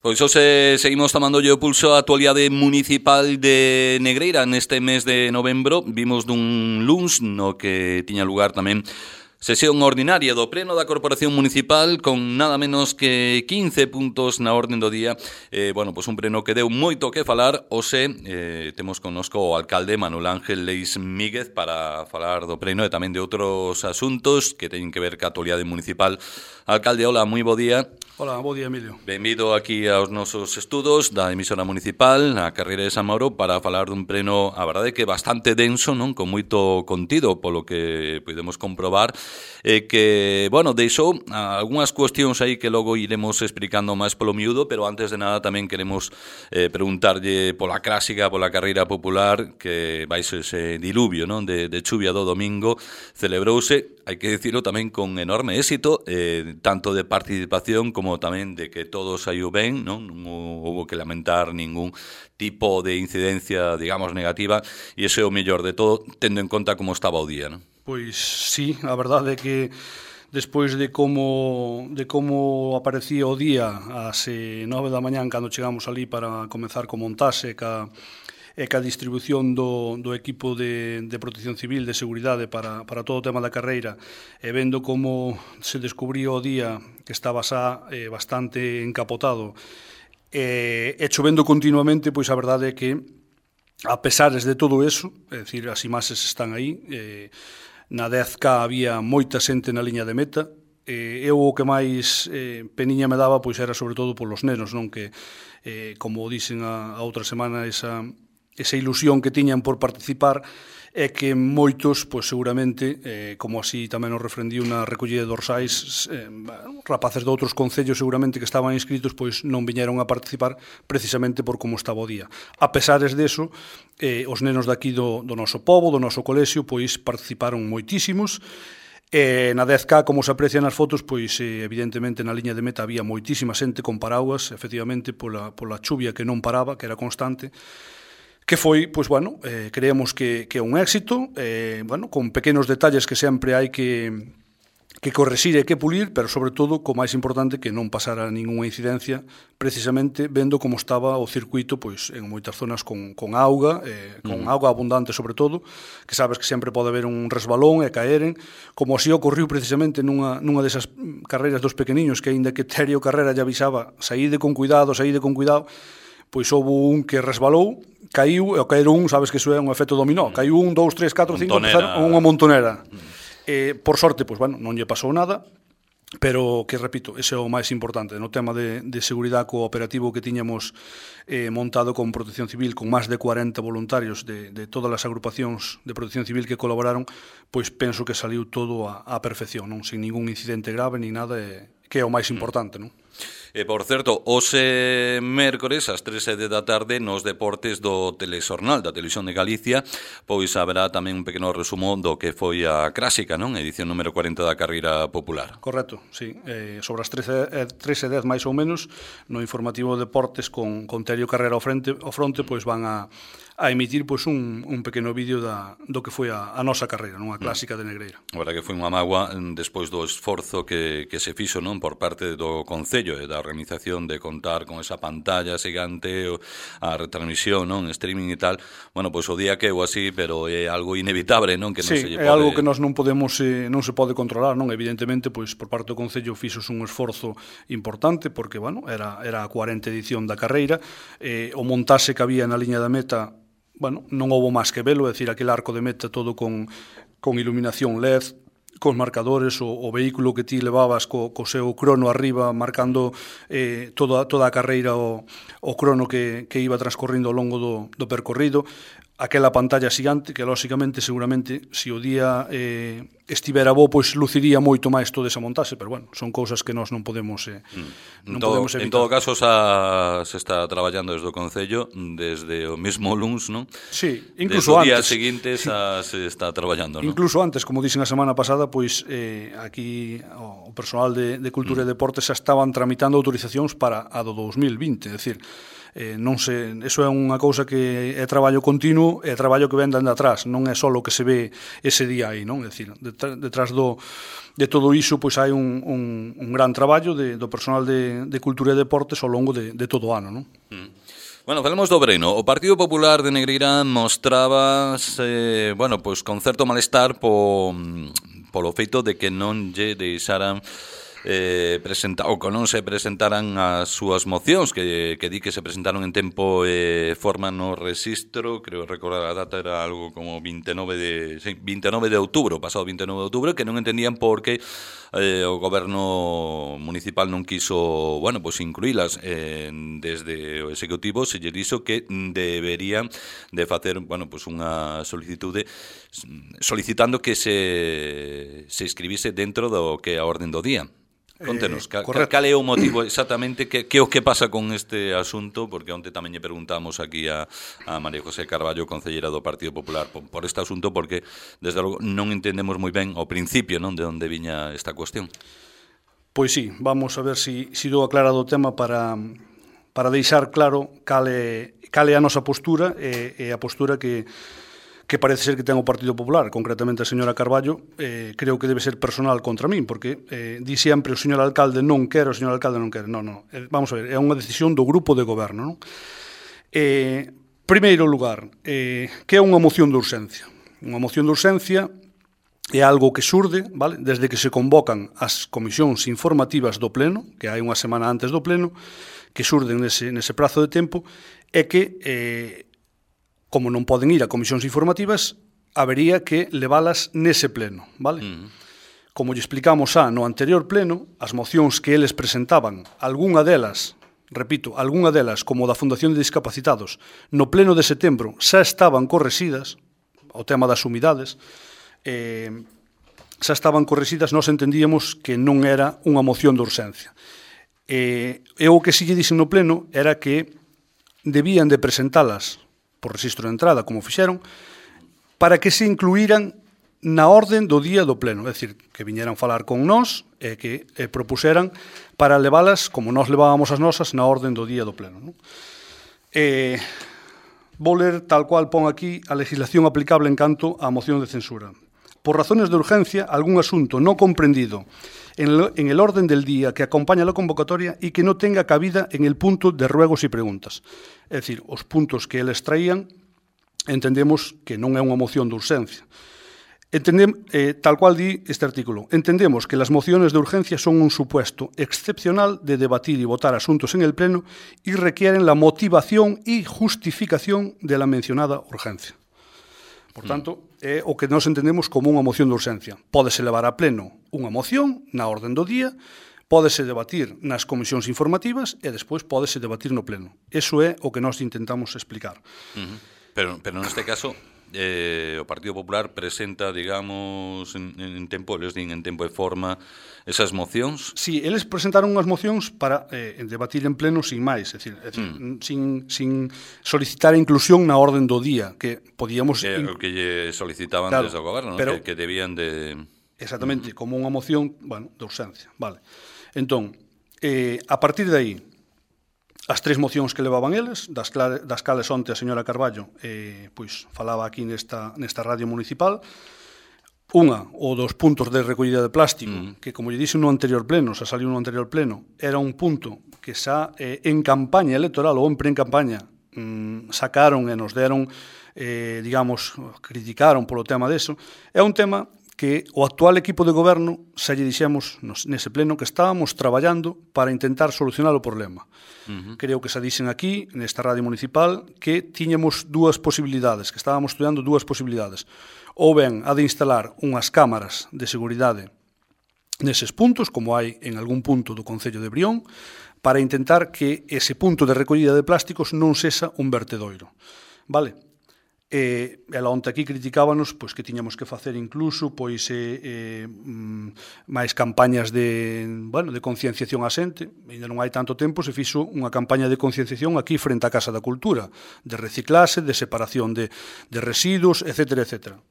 Pois hoxe seguimos tomándolle o pulso á actualidade municipal de Negreira neste mes de novembro. Vimos dun luns no que tiña lugar tamén sesión ordinaria do Pleno da Corporación Municipal con nada menos que 15 puntos na orden do día. Pois un pleno que deu moito que falar. Hoxe temos connosco o alcalde Manuel Ángel Leis Míguez para falar do pleno e tamén de outros asuntos que teñen que ver ca actualidade municipal. Alcalde, hola, moi bo día. Hola, bo día, Emilio. Benvido aquí aos nosos estudos da emisora municipal, na carreira de San Mauro, para falar dun pleno, a verdade que bastante denso, non, con moito contido, polo que podemos comprobar, que, deixou algunhas cuestións aí que logo iremos explicando máis polo miúdo, pero antes de nada tamén queremos preguntarlle pola clásica, pola carreira popular, que vai ser ese diluvio, non, de chuvia do domingo, celebrouse, hai que dicirlo tamén con enorme éxito, tanto de participación como tamén de que todo saiu ben, non houve que lamentar ningún tipo de incidencia, digamos, negativa, e ese é o mellor de todo, tendo en conta como estaba o día, non? Pois sí, a verdade é que despois de como aparecía o día ás 9 da mañán cando chegamos ali para comezar co montaxe e ca distribución do equipo de protección civil, de seguridade para todo o tema da carreira, e vendo como se descubría o día que estaba xa bastante encapotado e chovendo continuamente, pois a verdade é que a pesares de todo eso, é dicir, as imaxes están aí, na 10K había moita xente na liña de meta, eu o que máis peniña me daba pois era sobre todo polos nenos, non, que como dixen a outra semana, esa ilusión que tiñan por participar é que moitos, pois seguramente, como así tamén nos refrendiu na recollida de dorsais, rapaces de outros concellos seguramente que estaban inscritos, pois non viñeron a participar precisamente por como estaba o día. A pesares deso, os nenos daqui do noso pobo, do noso colexio, pois participaron moitísimos. Na 10K, como se aprecia nas fotos, pois evidentemente na liña de meta había moitísima xente con paraguas, efectivamente pola chuvia que non paraba, que era constante, que foi, pois, creemos que é un éxito, con pequenos detalles que sempre hai que correxir e que pulir, pero sobre todo, co máis importante, que non pasara ninguna incidencia, precisamente vendo como estaba o circuito, pois, en moitas zonas con auga, con auga abundante sobre todo, que sabes que sempre pode haber un resbalón e caeren, como así ocorriu precisamente nunha desas carreiras dos pequeniños, que aínda que Terio Carrera lle avisaba, saíde con cuidado, pois houve un que resbalou, caiu, e ao caer un, sabes que iso é un efecto dominó, caiu 1, 2, 3, 4, 5, empezaron unha montonera. Por sorte, pois, non lle pasou nada, pero que, repito, ese é o máis importante, no tema de seguridade cooperativo que tiñamos montado con Protección Civil, con máis de 40 voluntarios de todas as agrupacións de Protección Civil que colaboraron, pois penso que saliu todo a perfección, non, sin ningún incidente grave ni nada, que é o máis importante, non? Por certo, hoxe mércores ás 3:10 da tarde nos deportes do Telexornal da Televisión de Galicia, pois haberá tamén un pequeno resumo do que foi a clásica, non? Edición número 40 da carreira popular. Correcto, sí. Sobre as 13:10 máis ou menos, no informativo de deportes con Terio Carrera ao fronte, pois van a emitir pois un pequeno vídeo do que foi a nosa carreira, non, a clásica de Negreira. A verdade que foi unha mágoa despois do esforzo que se fixo, non, por parte do Concello e da organización de contar con esa pantalla xigante, a retransmisión, non, streaming e tal. Pois o día que é así, pero é algo inevitable, non, que non se lle pode... É algo que nós non se pode controlar, non, evidentemente, pois por parte do Concello fixos un esforzo importante, porque, era a 40 edición da carreira, o montaxe que había na liña da meta, non houve máis que velo, é dicir, aquel arco de meta todo con iluminación LED, cos marcadores, o vehículo que ti levabas co seu crono arriba, marcando toda a carreira, o crono que iba transcorrindo ao longo do percorrido, aquela pantalla xigante que, lóxicamente, seguramente, se o día estivera bo, pois luciría moito máis toda esa montaxe, pero, son cousas que nós non podemos evitar. En todo caso, se está traballando desde o Concello, desde o mesmo luns, non? Sí, incluso Desde o antes. día seguinte se está traballando, non? Incluso antes, como dixen a semana pasada, pois aquí o personal de Cultura e Deportes xa estaban tramitando autorizacións para a do 2020, é dicir, Eso é unha cousa que é traballo continuo, é traballo que ven dende atrás, non é só o que se ve ese día aí, non? É dicir, detrás de todo iso pois hai un gran traballo do personal de Cultura e Deportes ao longo de todo o ano, non? Bueno, falemos do Breno. O Partido Popular de Negreira mostrábase, pois con certo malestar polo feito de que non lle deixaran presentar, ou que non se presentaran as súas mocións que di que se presentaron en tempo e forma no rexistro. Creo recordar a data era algo como 29 de outubro, pasado 29 de outubro, que non entendían por que o goberno municipal non quiso, pois incluílas desde o executivo. Se lle dixo que deberían de facer, pois unha solicitude solicitando que se inscribise dentro do que é a orden do día. Contenos, cal é o motivo exactamente, que o que pasa con este asunto, porque onte tamén lle preguntamos aquí a María José Carballo, concelleira do Partido Popular, por este asunto, porque desde logo non entendemos moi ben ao principio, non, de onde viña esta cuestión. Pois sí, vamos a ver si dou aclarado o tema para deixar claro cal é a nosa postura e a postura que parece ser que ten o Partido Popular, concretamente a señora Carballo. Creo que debe ser personal contra min, porque di sempre o señor alcalde non quere, o señor alcalde non quere. Non. Vamos a ver, é unha decisión do grupo de goberno, non? Primeiro lugar, que é unha moción de urxencia? Unha moción de urxencia é algo que xurde, vale, desde que se convocan as comisións informativas do Pleno, que hai unha semana antes do Pleno, que xurden nese prazo de tempo, e que como non poden ir a comisións informativas, habería que leválas nese pleno, vale? Como lle explicamos no anterior pleno, as mocións que eles presentaban, algunha delas, como da Fundación de Discapacitados, no pleno de setembro xa estaban correxidas, o tema das humidades, xa estaban correxidas, nós entendíamos que non era unha moción de urxencia. E o que si lle dixen no pleno era que debían de presentalas por rexistro de entrada, como fixeron, para que se incluíran na orden do día do pleno, é dicir, que viñeran falar con nós e que propuseran para leválas, como nós levábamos as nosas, na orden do día do pleno. Non? Vou ler tal cual pon aquí a legislación aplicable en canto á moción de censura. Por razones de urgencia, algún asunto no comprendido en el orden del día que acompaña la convocatoria y que no tenga cabida en el punto de ruegos y preguntas. É dicir, os puntos que eles traían entendemos que non é unha moción de urxencia. Tal cual di este artículo, entendemos que las mociones de urgencia son un supuesto excepcional de debatir y votar asuntos en el Pleno y requieren la motivación y justificación de la mencionada urgencia. Por tanto, é o que nós entendemos como unha moción de urxencia. Pódese levar a pleno unha moción na orden do día, pódese debatir nas comisións informativas e despois pódese debatir no pleno. Eso é o que nós intentamos explicar. Pero neste caso, o Partido Popular presenta, digamos, en tempo, eles din en tempo e forma, esas mocións? Sí, eles presentaron unhas mocións para debatir en pleno sin máis, é dicir, sin solicitar a inclusión na orden do día, que podíamos... O que lle solicitaban desde o goberno, pero, que debían de... Exactamente, como unha moción, de urxencia, vale. Entón, a partir de aí, as tres mocións que levaban eles, das cales onte a señora Carballo pois falaba aquí nesta radio municipal. Unha, o dos puntos de recollida de plástico, que, como lle dixen no anterior pleno, xa saliu no anterior pleno, era un punto que xa en campaña electoral ou en pre-campaña sacaron e nos deron, digamos, criticaron polo tema deso. É un tema que o actual equipo de goberno xa lle dixemos nese pleno que estábamos traballando para intentar solucionar o problema. Creo que xa dixen aquí, nesta radio municipal, que tiñamos dúas posibilidades, que estábamos estudiando dúas posibilidades. Ou ben a de instalar unhas cámaras de seguridade neses puntos, como hai en algún punto do Concello de Brión, para intentar que ese punto de recollida de plásticos non sexa un vertedoiro. Vale? Ela onte aquí criticábanos pois que tiñamos que facer incluso máis campañas de concienciación a xente. Ainda non hai tanto tempo se fixo unha campaña de concienciación aquí frente á Casa da Cultura, de reciclase, de separación de residuos, etcétera, etcétera.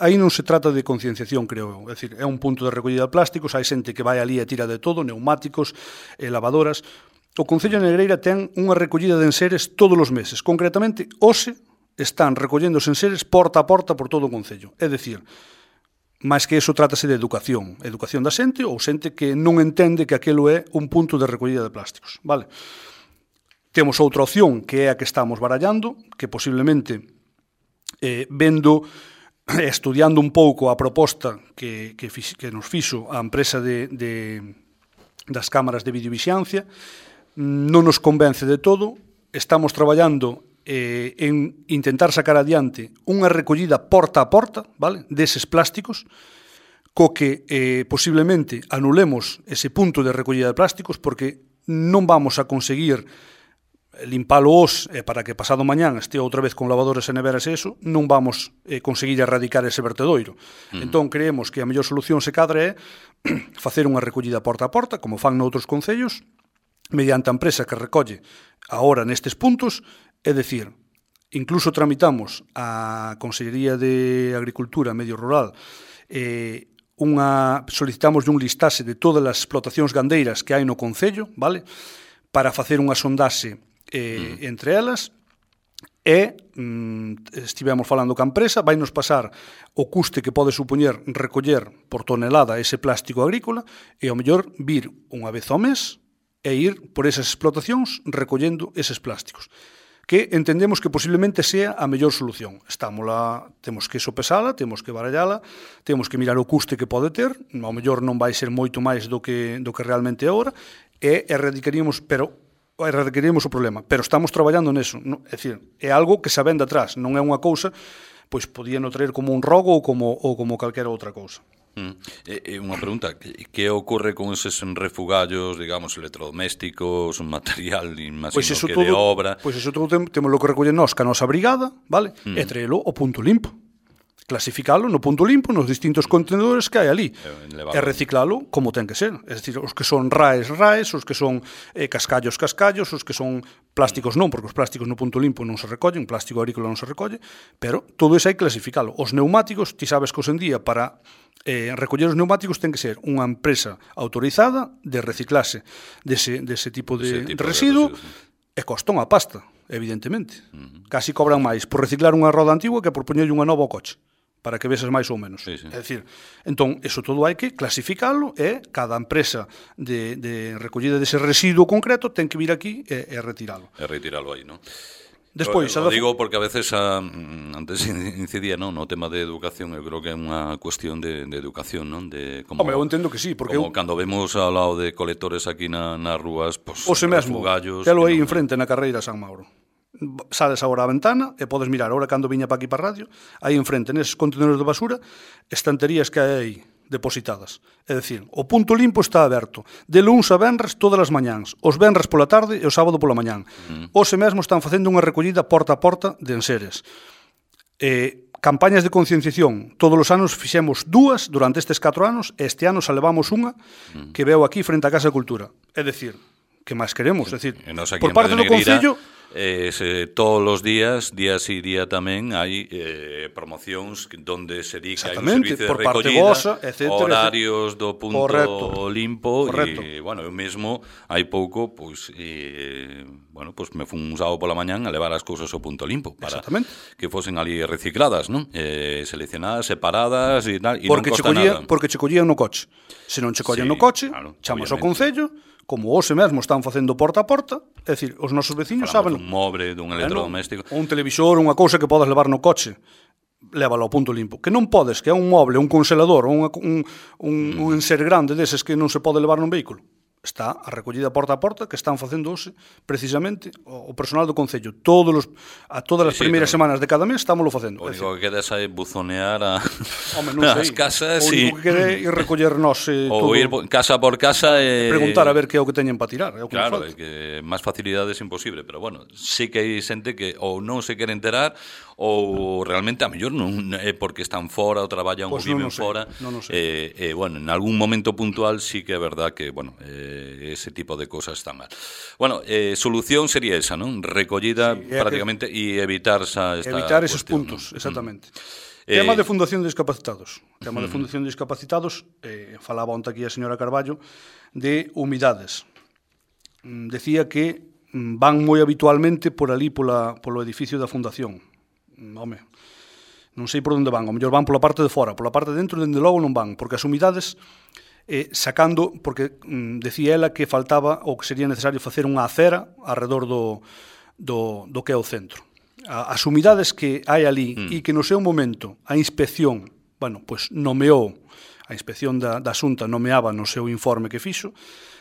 Aí non se trata de concienciación, creo eu. É dicir, é un punto de recollida de plásticos, hai xente que vai ali e tira de todo, neumáticos, lavadoras. o Concello de Negreira ten unha recollida de enseres todos os meses. Concretamente, hoxe están recollendo os enseres porta a porta por todo o Concello. É dicir, máis que iso trátase de educación da xente ou xente que non entende que aquilo é un punto de recollida de plásticos, vale? Temos outra opción que é a que estamos barallando, que posiblemente vendo estudiando un pouco a proposta que nos fixo a empresa das cámaras de videovixiancia, non nos convence de todo. Estamos traballando en intentar sacar adiante unha recollida porta a porta, vale, deses plásticos, co que posiblemente anulemos ese punto de recollida de plásticos, porque non vamos a conseguir limpalo hoxe para que pasado mañán este outra vez con lavadores e neveras e eso, non vamos conseguir erradicar ese vertedoiro. Entón, creemos que a mellor solución se cadra é facer unha recollida porta a porta, como fan noutros concellos, mediante a empresa que recolle agora nestes puntos, é dicir, incluso tramitamos a Consellería de Agricultura e Medio Rural solicitamos un listaxe de todas as explotacións gandeiras que hai no concello, vale? Para facer unha sondaxe entre elas e estivemos falando ca empresa, vai nos pasar o custe que pode supoñer recoller por tonelada ese plástico agrícola e ao mellor vir unha vez ao mes e ir por esas explotacións recollendo eses plásticos, que entendemos que posiblemente sea a mellor solución. Temos que sopesala, temos que barallala, temos que mirar o custe que pode ter, ao mellor non vai ser moito máis do que realmente é agora, e erradicaríamos o problema, pero estamos traballando neso, é dicir, é algo que se vende atrás, non é unha cousa, pois podían traer como un rogo ou como calquera outra cousa. Unha pregunta, que ocorre con eses refugallos, digamos, electrodomésticos, un material, imagino que de obra? Pois iso todo temos lo que recoller nós, ca nosa brigada, vale? E traelo ao punto limpo. Clasificalo no punto limpo, nos distintos contenedores que hai ali, e reciclalo como ten que ser. É dicir, os que son raes, os que son cascallos, os que son plásticos non, porque os plásticos no punto limpo non se recollen, o plástico agrícola non se recolle, pero todo iso hai que clasificalo. Os neumáticos, ti sabes que hoxe en día para recoller os neumáticos ten que ser unha empresa autorizada de reciclase dese tipo de residuo, e costan a pasta, evidentemente. Casi cobran máis por reciclar unha roda antigua que por poñerlle unha nova ao coche, para que veses máis ou menos. Sí, sí. É dicir, entón, eso todo hai que clasificalo e cada empresa de recollida dese residuo concreto ten que vir aquí e retiralo. E retiralo aí, non? Despois, lo digo porque a veces antes incidía no tema de educación, eu creo que é unha cuestión de educación, non? Home, eu entendo que sí, porque como cando vemos ao lado de colectores aquí nas rúas, pues, o se mesmo, telo aí enfrente na carreira San Mauro. Sales agora á ventana e podes mirar, agora cando viña pa aquí pa radio, aí enfrente, neses contenedores de basura, estanterías que hai aí depositadas. É dicir, o punto limpo está aberto de luns a venres todas as mañáns, os venres pola tarde e o sábado pola mañán. Hoxe mesmo están facendo unha recollida porta a porta de enseres. Campañas de concienciación, todos os anos fixemos 2 durante estes 4 anos, e este ano xa levamos unha que veo aquí frente á Casa de Cultura. É dicir, que máis queremos? É dicir, por parte do Concello, todos os días, día sí, día tamén, hai promocións donde se di que hai un servicio de recollida, horarios do punto limpo, e, bueno, eu mesmo, hai pouco, pois, me fun un sábado pola mañán a levar as cousas ao punto limpo, para que fosen ali recicladas, non? Seleccionadas, separadas e tal, e non costa nada. Porque che collían no coche. Se non che collen no coche, chamas ao Concello, como hoxe mesmo están facendo porta a porta, é dicir, os nosos veciños saben dun mobre, dun electrodoméstico, un televisor, unha cousa que podes levar no coche, lévalo ao punto limpo. Que non podes, que é un moble, un congelador, un enser grande deses que non se pode levar nun vehículo. Está a recollida porta a porta que están facendo hoxe, precisamente, o personal do Concello. Todas as primeiras semanas de cada mes estámoslo facendo. O único que queda é buzonear as casas. O único que queda é ir recoller nós ou ir casa por casa e preguntar a ver que é o que teñen para tirar. Claro, é que máis facilidades imposible, pero bueno, sí que hai xente que ou non se quere enterar ou realmente a mellor non é porque están fora ou traballan ou viven fora. Bueno, en algún momento puntual sí que é verdad que, bueno, ese tipo de cosas están mal. Bueno, solución sería esa, non? Recollida prácticamente e evitar esos puntos, exactamente. Tema de Fundación de Discapacitados. Tema de Fundación de Discapacitados, falaba onte aquí a señora Carballo, de humidades. decía que van moi habitualmente por ali polo edificio da Fundación. Home, non sei por onde van, ao mellor van pola parte de fora, pola parte de dentro, dende logo non van, porque as humidades sacando, porque decía ela que faltaba ou que sería necesario facer unha acera alrededor do que é o centro. As humidades que hai ali e que no seu momento a inspección, bueno, pois nomeou, a inspección da Xunta nomeaba no seu informe que fixo,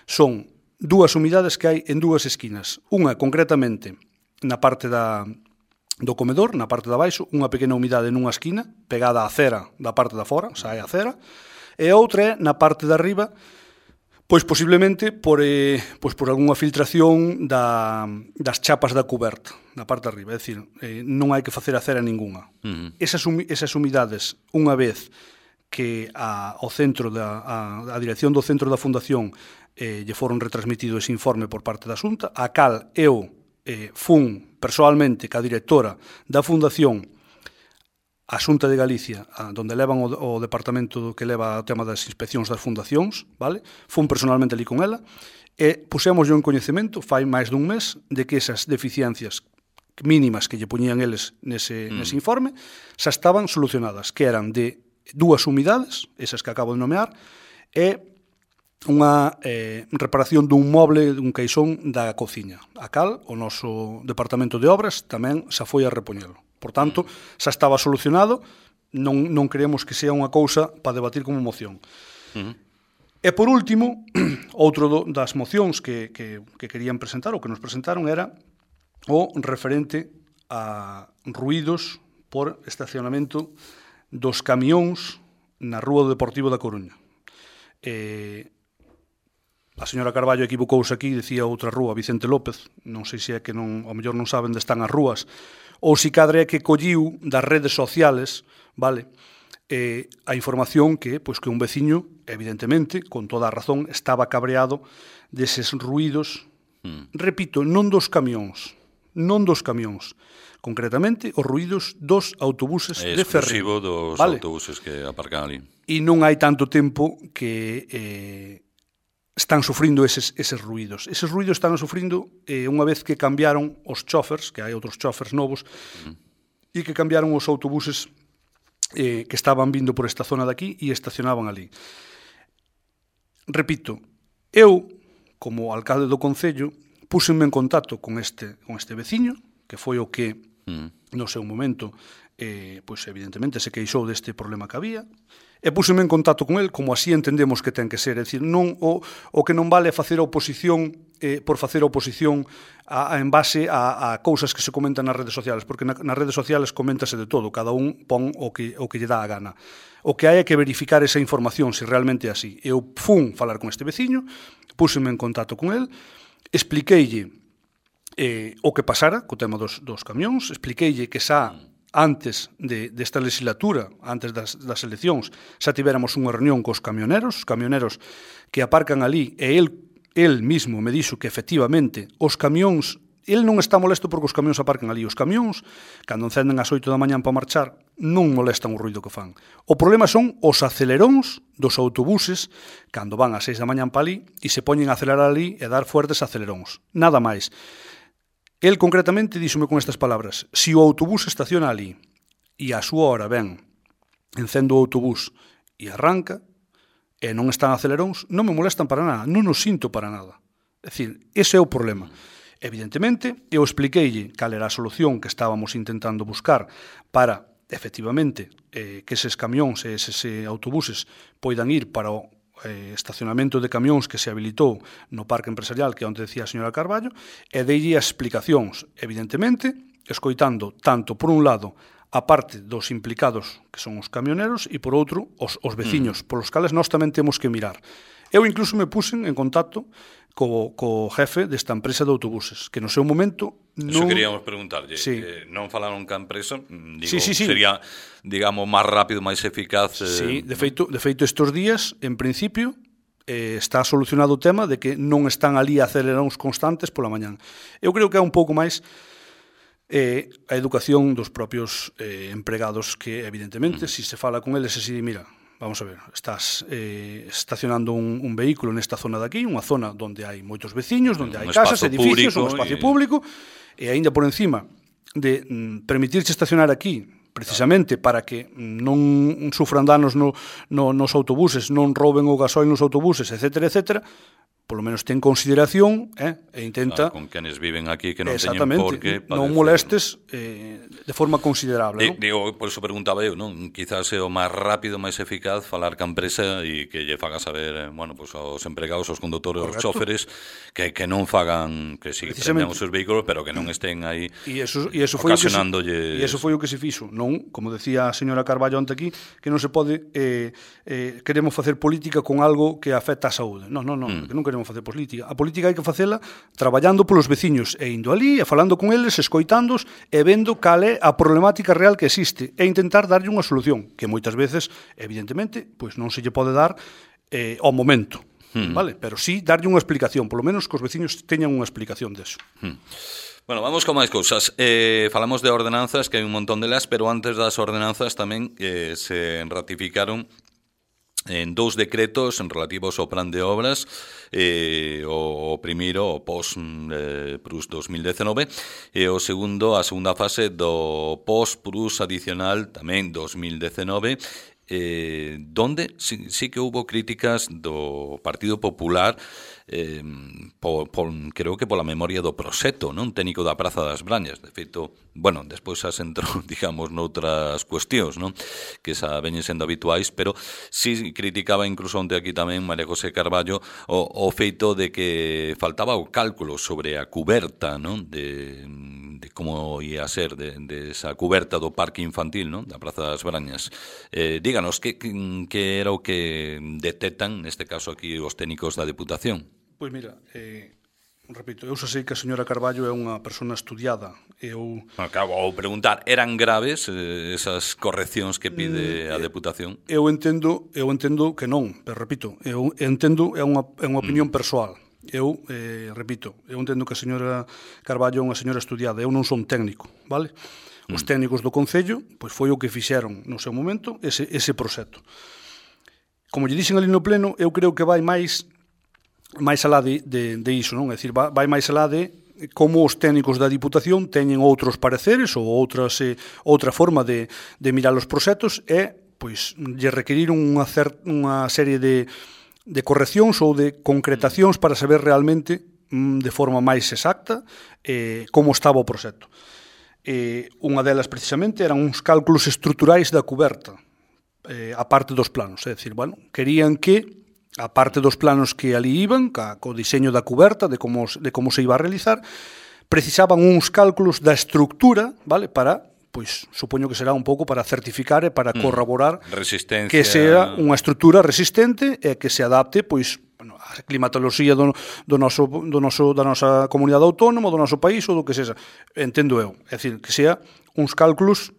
son dúas humidades que hai en dúas esquinas. Unha, concretamente, na parte do comedor, na parte de abaixo, unha pequena humidade nunha esquina, pegada á cera da parte da fora, sae a cera, e a outra é na parte de arriba, pois posiblemente por algunha filtración das chapas da cuberta, na parte de arriba, é dicir, non hai que facer a cera ninguna. Esas humidades, unha vez que ao centro a dirección do centro da Fundación lle foron retransmitido ese informe por parte da Xunta, a cal eu fun persoalmente ca directora da Fundación a Xunta de Galicia, onde levan o departamento que leva o tema das inspeccións das fundacións, vale? Fun personalmente ali con ela, e pusemos en coñecemento, fai máis dun mes, de que esas deficiencias mínimas que lle poñían eles nese informe, xa estaban solucionadas, que eran de dúas humidades, esas que acabo de nomear, e unha reparación dun moble, dun caixón da cociña, a cal o noso departamento de obras tamén xa foi a repoñelo. Por tanto, xa estaba solucionado, non creemos que sea unha cousa para debatir como moción. E por último, outro das mocións que querían presentar, ou que nos presentaron, era o referente a ruídos por estacionamento dos camións na Rúa do Deportivo da Coruña. A señora Carballo equivocouse aquí, decía outra rúa, Vicente López, non sei se é que ao mellor non saben onde están as rúas, ou si cadre é que colliu das redes sociales, vale, a información que un veciño, evidentemente, con toda a razón, estaba cabreado deses ruídos, repito, non dos camións, concretamente os ruídos dos autobuses de Ferrín. Exclusivo dos autobuses que aparcan ali. E non hai tanto tempo que están sufrindo eses ruídos. Eses ruídos están sufrindo unha vez que cambiaron os chófers, que hai outros chófers novos, e que cambiaron os autobuses que estaban vindo por esta zona de aquí e estacionaban ali. Repito, eu, como alcalde do Concello, púsenme en contacto con este veciño, que foi o que, no seu momento, evidentemente se queixou deste problema que había, e púseme en contacto con el como así entendemos que ten que ser, é dicir, non o que non vale facer oposición por facer oposición en base a cousas que se comentan nas redes sociales, porque nas redes sociales coméntase de todo, cada un pon o que lle dá a gana. O que hai é que verificar esa información se realmente é así. Eu fun falar con este veciño, púseme en contacto con el, expliqueille o que pasara co tema dos camións, expliqueille que xa antes desta legislatura, antes das eleccións, xa tivéramos unha reunión cos camioneros que aparcan ali, e el mismo me dixo que efectivamente os camións, el non está molesto porque os camións aparcan ali, os camións, cando encenden ás 8 da mañán para marchar, non molestan o ruído que fan. O problema son os aceleróns dos autobuses cando van ás 6 da mañán para ali e se poñen a acelerar ali e dar fuertes aceleróns, nada máis. El concretamente díxome con estas palabras: si o autobús estaciona ali e a súa hora ven, encendo o autobús e arranca, e non están aceleróns, non me molestan para nada, non os sinto para nada. É dicir, ese é o problema. Evidentemente, eu expliqueille cal era a solución que estábamos intentando buscar para, efectivamente, que eses camións e eses autobuses poidan ir para o estacionamento de camións que se habilitou no parque empresarial, que é onde decía a señora Carballo, e deille as explicacións, evidentemente, escoitando tanto por un lado a parte dos implicados, que son os camioneros, e por outro, os veciños, polos cales nós tamén temos que mirar. Eu incluso me puxen en contacto co jefe desta empresa de autobuses, que no seu momento non... Eso queríamos preguntarlle, sí. Non falaron ca empresa, sí. sería, digamos, máis rápido, máis eficaz... Sí, de feito, estes días, en principio, está solucionado o tema de que non están ali aceleróns constantes pola mañán. Eu creo que é un pouco máis a educación dos propios empregados que, evidentemente, se fala con eles así, mira, vamos a ver, estás estacionando un vehículo nesta zona de aquí, unha zona onde hai moitos veciños, onde hai casas, edificios, un espacio público, e aínda por encima de permitirse estacionar aquí, precisamente para que non sufran danos nos autobuses, non roben o gasoil nos autobuses, etcétera, etcétera, polo menos ten consideración e intenta... Con quenes viven aquí que non teñen por que padecer. Non molestes de forma considerable, non? Digo, por eso preguntaba eu, non? Quizás é o máis rápido, máis eficaz falar ca empresa e que lle faga saber, bueno, pues aos empregados, aos condutores, aos chóferes, que non fagan, que si prenden os seus vehículos, pero que non estén aí ocasionándolle... E eso foi o que se fixo, non? Como decía a señora Carballo ante aquí, que non se pode queremos facer política con algo que afecta á saúde. Non, que non queremos facer política. A política hai que facela traballando polos veciños e indo ali, e falando con eles, escoitándos e vendo cal é a problemática real que existe e intentar darlle unha solución, que moitas veces, evidentemente, pois non se lle pode dar ao momento, vale? Pero sí darlle unha explicación, polo menos que os veciños teñan unha explicación deso. Bueno, vamos con máis cousas. Falamos de ordenanzas, que hai un montón delas, pero antes das ordenanzas tamén se ratificaron en 2 decretos relativos ao plan de obras, o primeiro, o post-PRUS 2019, e o segundo, a segunda fase do post-PRUS adicional, tamén 2019, donde sí que hubo críticas do Partido Popular, creo que pola memoria do Proseto, non? Técnico da Praza das Brañas. De feito, bueno, despois as entrou, digamos, noutras cuestións, non? Que xa veñen sendo habituais, pero sí criticaba incluso onte aquí tamén María José Carballo o feito de que faltaba o cálculo sobre a cuberta, non? De como ia ser de esa cuberta do parque infantil, non? Da Praza das Brañas. Díganos, que era o que detectan, neste caso aquí, os técnicos da Deputación? Pois mira, repito, eu xa sei que a señora Carballo é unha persona estudiada. Acabo de preguntar, eran graves esas correccións que pide a Deputación? Eu entendo que non, pero repito, eu entendo, é unha opinión persoal. Eu entendo que a señora Carballo é unha señora estudiada, eu non son técnico, vale? Os técnicos do Concello, pois foi o que fixeron no seu momento ese proxecto. Como lle dixen ali no pleno, eu creo que vai máis alá de iso, non? É dicir, vai máis alá de como os técnicos da Diputación teñen outros pareceres ou outra forma de mirar os proxectos e, pois, lle requeriron unha serie de correccións ou de concretacións para saber realmente de forma máis exacta como estaba o proxecto. Unha delas, precisamente, eran uns cálculos estruturais da cuberta, a parte dos planos. É dicir, bueno, querían que a parte dos planos que ali iban, co diseño da cuberta, de como se iba a realizar, precisaban uns cálculos da estructura, vale, para, pois, supoño que será un pouco para certificar e para corroborar que sea unha estrutura resistente e que se adapte, pois, bueno, a climatoloxía da nosa comunidade autónoma, do noso país ou do que sexa. Entendo eu. É dicir, que sea uns cálculos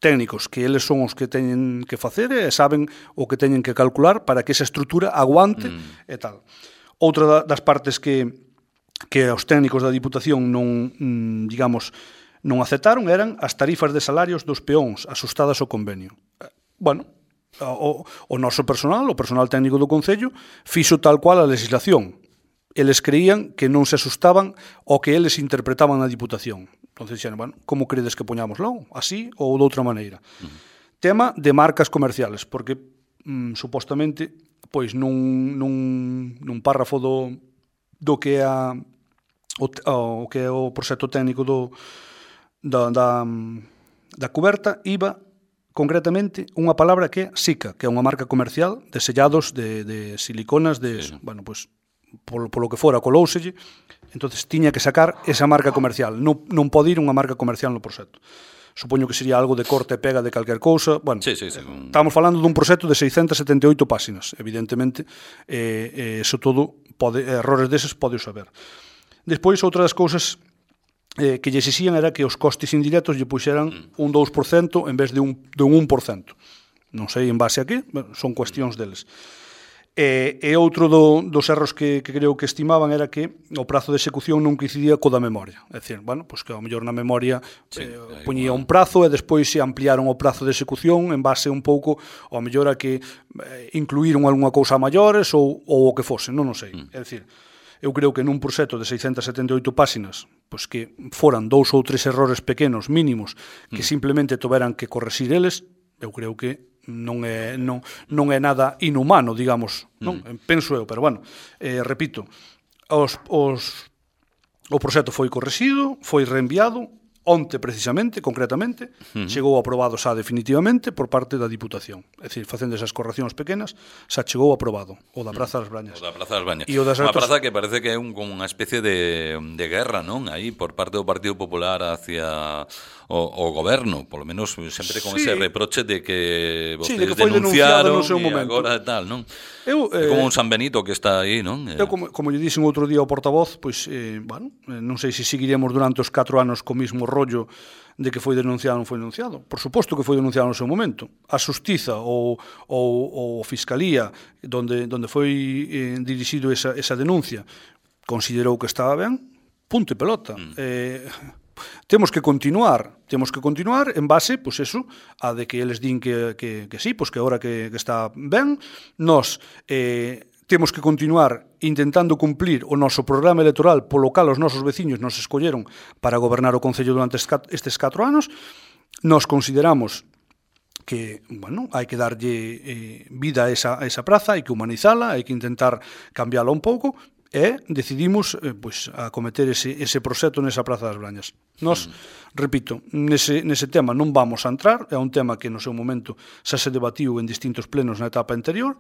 técnicos, que eles son os que teñen que facer e saben o que teñen que calcular para que esa estrutura aguante e tal. Outra das partes que os técnicos da Diputación non aceptaron eran as tarifas de salarios dos peóns asustadas ao convenio. Bueno, o noso personal, o personal técnico do Concello, fixo tal cual a legislación. Eles creían que non se asustaban ao que eles interpretaban na Diputación. Entón, dixeron, bueno, como credes que poñámoslo? Así ou de outra maneira? Tema de marcas comerciales, porque supostamente, pois nun párrafo do que é o proxecto técnico da cuberta iba concretamente unha palabra que é SICA, que é unha marca comercial de sellados de siliconas, bueno, pois polo que fora colouselle, entonces tiña que sacar esa marca comercial, non pode ir unha marca comercial no proxecto. Supoño que sería algo de corte e pega de calquer cousa. Bueno, estamos falando dun proxecto de 678 páxinas, evidentemente, eso todo, errores deses pode saber. Despois, outra das cousas que lle exixían era que os costes indirectos lle puxeran un 2% en vez de un 1%. Non sei en base a que, son cuestións deles. E outro dos erros que creo que estimaban era que o prazo de execución non coincidía co da memoria. É dicir, bueno, pois que ao mellor na memoria poñía un prazo e despois se ampliaron o prazo de execución en base un pouco ao mellor a que incluíron algunha cousa a maiores ou o que fose, non o sei. É dicir, eu creo que nun proxecto de 678 páxinas, pois que foran 2 ou 3 errores pequenos mínimos que simplemente tuveran que correxir eles, eu creo que non é nada inhumano, digamos, non? Penso eu, pero bueno, repito, o proxecto foi correxido, foi reenviado, onte precisamente, concretamente, chegou aprobado xa definitivamente por parte da Diputación. É dicir, facendo esas correccións pequenas, xa chegou aprobado, o da Praza das Brañas. O da Praza das Brañas. Unha praza que parece que é como unha especie de guerra, non? Aí, por parte do Partido Popular hacia o goberno, polo menos sempre con ese reproche de que vostedes denunciaron e agora tal, non? É como un San Benito que está aí, non? Eu, como lle dixen outro día ao portavoz, pois, bueno, non sei se seguiremos durante os 4 anos co mismo rollo de que foi denunciado ou non foi denunciado. Por suposto que foi denunciado no seu momento. A Xustiza ou Fiscalía, donde foi dirixido esa denuncia, considerou que estaba ben, punto e pelota. Temos que continuar en base, pois eso, a de que eles din que sí, pois que agora que está ben, nós temos que continuar intentando cumplir o noso programa electoral polo cal os nosos veciños nos escolleron para gobernar o Concello durante estes 4 anos. Nos consideramos que, bueno, hai que darlle vida a esa praza, hai que humanizala, hai que intentar cambiala un pouco, e decidimos pois, acometer ese proxecto nesa Praza das Brañas. Nós, repito, nese tema non vamos a entrar, é un tema que no seu momento xa se debatiu en distintos plenos na etapa anterior,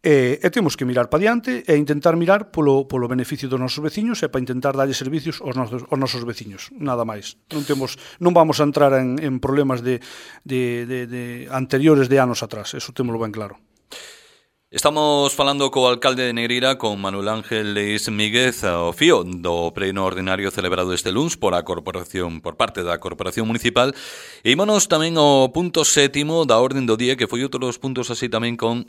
e temos que mirar para diante e intentar mirar polo beneficio dos nosos veciños e para intentar darlle servicios aos nosos veciños, nada máis. Non vamos a entrar en problemas de anteriores de anos atrás, eso témolo ben claro. Estamos falando co alcalde de Negreira, con Manuel Ángel Leis Míguez, ao fío do pleno ordinario celebrado este luns por parte da Corporación Municipal. E ímonos tamén ao punto 7º da orden do día, que foi outro dos puntos así tamén con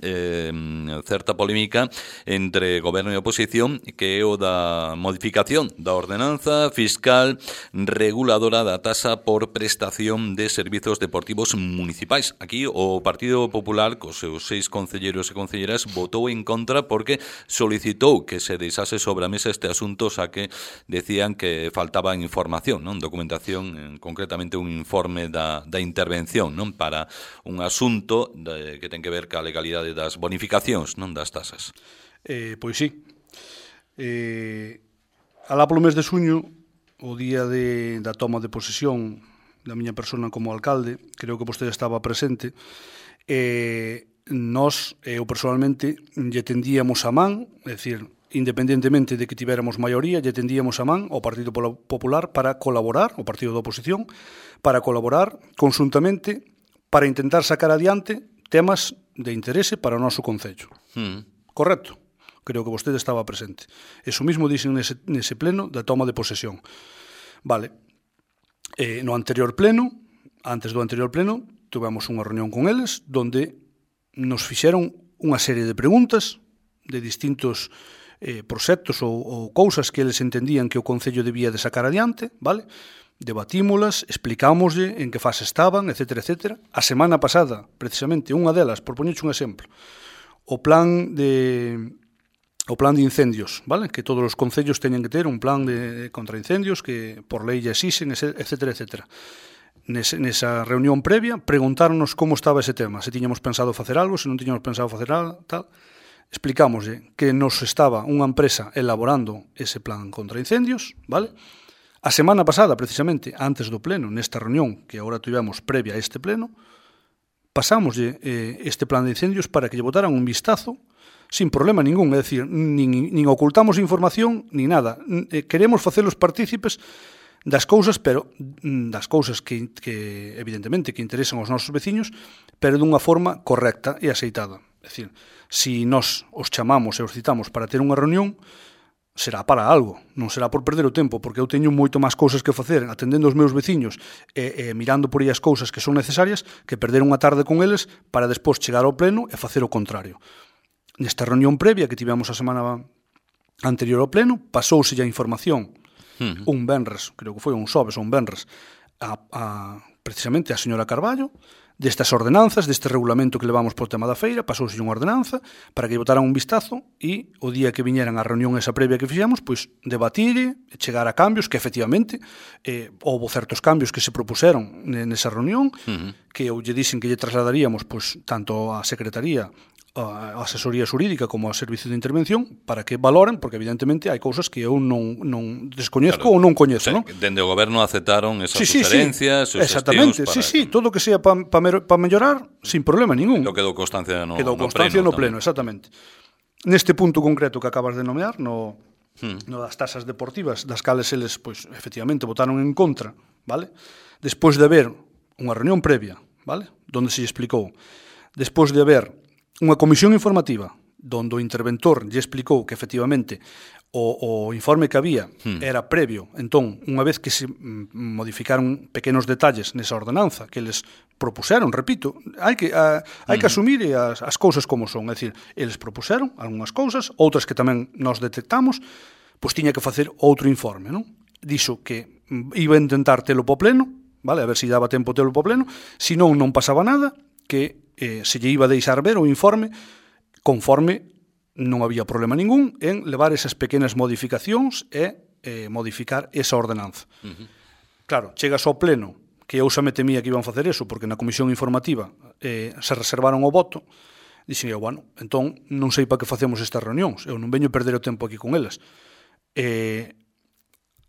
certa polémica entre goberno e oposición, que é o da modificación da ordenanza fiscal reguladora da tasa por prestación de servizos deportivos municipais. Aquí o Partido Popular, cos seus 6 concelleiros e concelleiras, votou en contra porque solicitou que se deixase sobre a mesa este asunto, xa que decían que faltaba información, non? Documentación, concretamente un informe da intervención, non? Para un asunto que ten que ver ca legalidade das bonificacións, non? Das tasas. Pois sí. Alá polo mes de suño, o día da toma de posesión da miña persona como alcalde, creo que vostede estaba presente, nós, eu personalmente, lle tendíamos a man, é dicir, independentemente de que tiveramos maioría, lle tendíamos a man ao Partido Popular para colaborar, o partido da oposición, para colaborar conxuntamente para intentar sacar adiante temas de interese para o noso concello. Correcto? Creo que vostede estaba presente. Eso mismo dixen nese pleno da toma de posesión. Vale. No anterior pleno, antes do anterior pleno, tuvemos unha reunión con eles, donde nos fixeron unha serie de preguntas de distintos proxectos ou cousas que eles entendían que o Concello debía de sacar adiante, vale? Debatímolas, explicámoslle en que fase estaban, etc. A semana pasada, precisamente, unha delas, por poñerche un exemplo, o plan de incendios, vale? Que todos os concellos teñen que ter un plan de contra incendios que por lei ya existen, etc. Nesa reunión previa, preguntáronos como estaba ese tema, se tiñamos pensado facer algo, se non tiñamos pensado facer algo, tal. Explicámoslle que nos estaba unha empresa elaborando ese plan contra incendios, vale? A semana pasada, precisamente, antes do pleno, nesta reunión que agora tivemos previa a este pleno, pasámoslle este plan de incendios para que lle botaran un vistazo sin problema ningún, é dicir, nin ocultamos información, ni nada. Queremos facelos partícipes das cousas, pero das cousas que evidentemente que interesan aos nosos veciños, pero dunha forma correcta e aceitada. É dicir, se nós os chamamos e os citamos para ter unha reunión, será para algo, non será por perder o tempo, porque eu teño moito máis cousas que facer atendendo os meus veciños e mirando por aí as cousas que son necesarias que perder unha tarde con eles para despois chegar ao pleno e facer o contrario. nesta reunión previa que tivemos a semana anterior ao pleno, pasouse a información un venres, creo que foi un xoves ou un venres, precisamente a señora Carballo, destas ordenanzas, deste regulamento que levamos por tema da feira, pasouse unha ordenanza para que botaran un vistazo e o día que viñeran a reunión esa previa que fixemos, pois debatir e chegar a cambios que efectivamente houve certos cambios que se propuseron nesa reunión, que eu lle dixen que lle trasladaríamos pois tanto á Secretaría, a asesoría xurídica como ao servicio de intervención para que valoren, porque evidentemente hai cousas que eu non descoñezco ou non coñezo, non? Dende o goberno aceptaron esas sugerencias, exactamente, todo o que sea para mellorar, sin problema ningún. Lo quedou constancia no pleno, exactamente. Neste punto concreto que acabas de nomear, no das tasas deportivas, das cales eles, pois, efectivamente, votaron en contra, vale? Despois de haber unha reunión previa, vale? Donde se explicou. Despois de haber unha comisión informativa donde o interventor lle explicou que efectivamente o informe que había era previo, entón, unha vez que se modificaron pequenos detalles nesa ordenanza que eles propuseron, repito, hai que asumir as cousas como son, é dicir, eles propuseron algunhas cousas, outras que tamén nos detectamos, pois tiña que facer outro informe, non? Dixo que iba a intentar telo po pleno, vale, a ver se daba tempo telo po pleno, senón non pasaba nada, que se lle iba a deixar ver o informe conforme non había problema ningún en levar esas pequenas modificacións e modificar esa ordenanza. Claro, chegas ao pleno, que eu xa me temía que iban facer eso, porque na comisión informativa se reservaron o voto, dixen eu, bueno, entón non sei para que facemos estas reunións, eu non veño perder o tempo aquí con elas.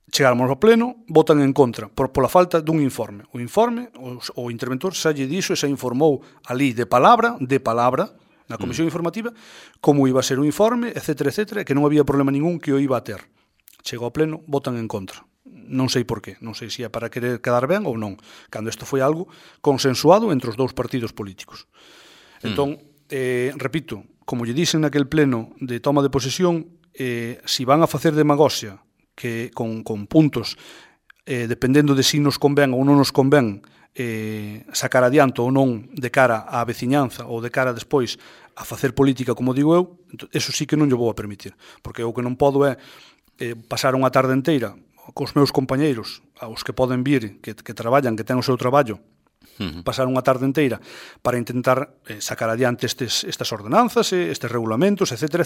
Chegáramos ao pleno, votan en contra pola falta dun informe. O informe, o interventor xa lle dixo e xa informou ali de palabra, na comisión informativa, como iba a ser o informe, etcétera, que non había problema ningún que o iba a ter. Chegou ao pleno, votan en contra. Non sei por qué, non sei se é para querer quedar ben ou non, cando isto foi algo consensuado entre os dous partidos políticos. Entón, repito, como lle dixen naquel pleno de toma de posesión, se van a facer demagoxia que con puntos, dependendo de si nos convén ou non nos convén sacar adiante ou non de cara á veciñanza ou de cara despois a facer política, como digo eu, eso sí que non lle vou a permitir, porque o que non podo é pasar unha tarde inteira cos meus compañeiros, aos que poden vir, que traballan, que ten o seu traballo, pasar unha tarde inteira para intentar sacar adiante estas ordenanzas, estes regulamentos, etcétera,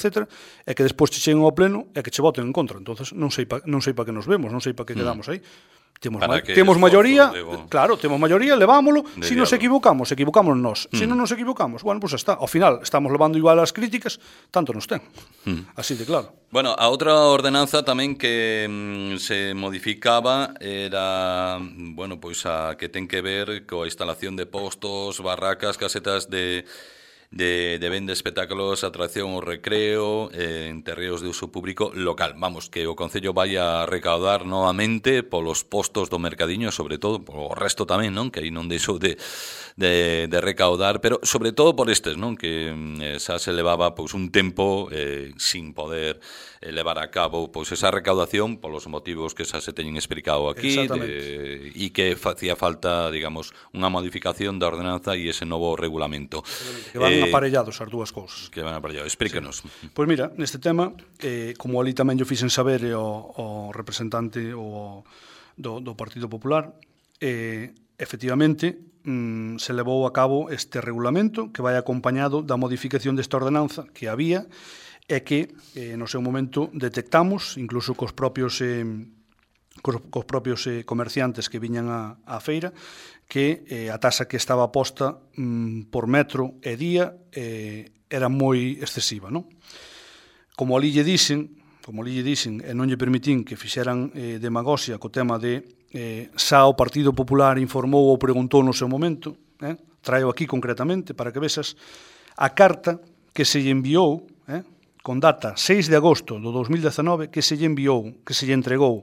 e que despois che cheguen ao pleno e que che voten en contra. Entonces non sei pa que nos vemos, non sei pa que quedamos aí. Temos maioría, claro, temos maioría, levámolo. Se nos equivocamos nós. Se non nos equivocamos, bueno, pues está. Ao final, estamos levando igual as críticas, tanto nos ten. Así de claro. Bueno, a outra ordenanza tamén que se modificaba era, bueno, pois a que ten que ver coa instalación de postos, barracas, casetas de venda espectáculos, atracción ou recreo en terreos de uso público local. Vamos, que o Concello vai a recaudar novamente polos postos do mercadiño, sobre todo, o resto tamén, non? Que aí non deixou de recaudar, pero sobre todo por estes, non? Que xa se levaba pois un tempo sin poder levar a cabo pois esa recaudación polos motivos que xa se teñen explicado aquí e que facía falta, digamos, unha modificación da ordenanza e ese novo regulamento. Que van aparellados as dúas cousas. Que van aparellados, explíquenos. Pois mira, neste tema, como ali tamén yo fixen saber ao representante do Partido Popular, efectivamente, se levou a cabo este regulamento que vai acompañado da modificación desta ordenanza que había e que no seu momento detectamos, incluso cos propios comerciantes que viñan á feira, que a taxa que estaba posta por metro e día era moi excesiva, non? Como ali lle dixen, e non lle permitín que fixeran demagoxia co tema de xa o Partido Popular informou ou preguntou no seu momento, traio aquí concretamente para que vexas a carta que se lle enviou, con data 6 de agosto do 2019, que se lle enviou, que se lle entregou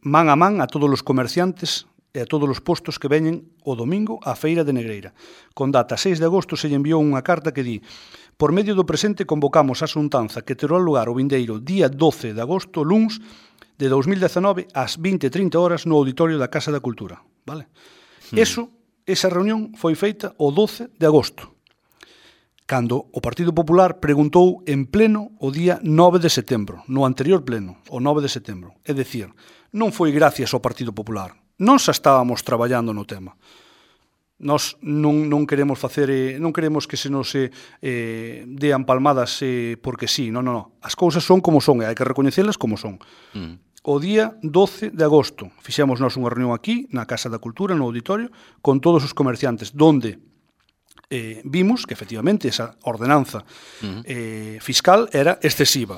man a man a todos os comerciantes e a todos os postos que veñen o domingo á Feira de Negreira. Con data 6 de agosto se lle enviou unha carta que di: por medio do presente convocamos a xuntanza que terá lugar o vindeiro día 12 de agosto, luns de 2019, ás 20:30 horas no auditorio da Casa da Cultura. Vale? Esa reunión foi feita o 12 de agosto. cando o Partido Popular preguntou en pleno o día 9 de setembro, no anterior pleno, o 9 de setembro. É dicir, non foi gracias ao Partido Popular. Nós xa estábamos traballando no tema. Nós non queremos facer, non queremos que se nos dean palmadas porque sí, non. As cousas son como son e hai que recoñecelas como son. O día 12 de agosto fixemos nós unha reunión aquí, na Casa da Cultura, no auditorio, con todos os comerciantes, donde vimos que efectivamente esa ordenanza fiscal era excesiva.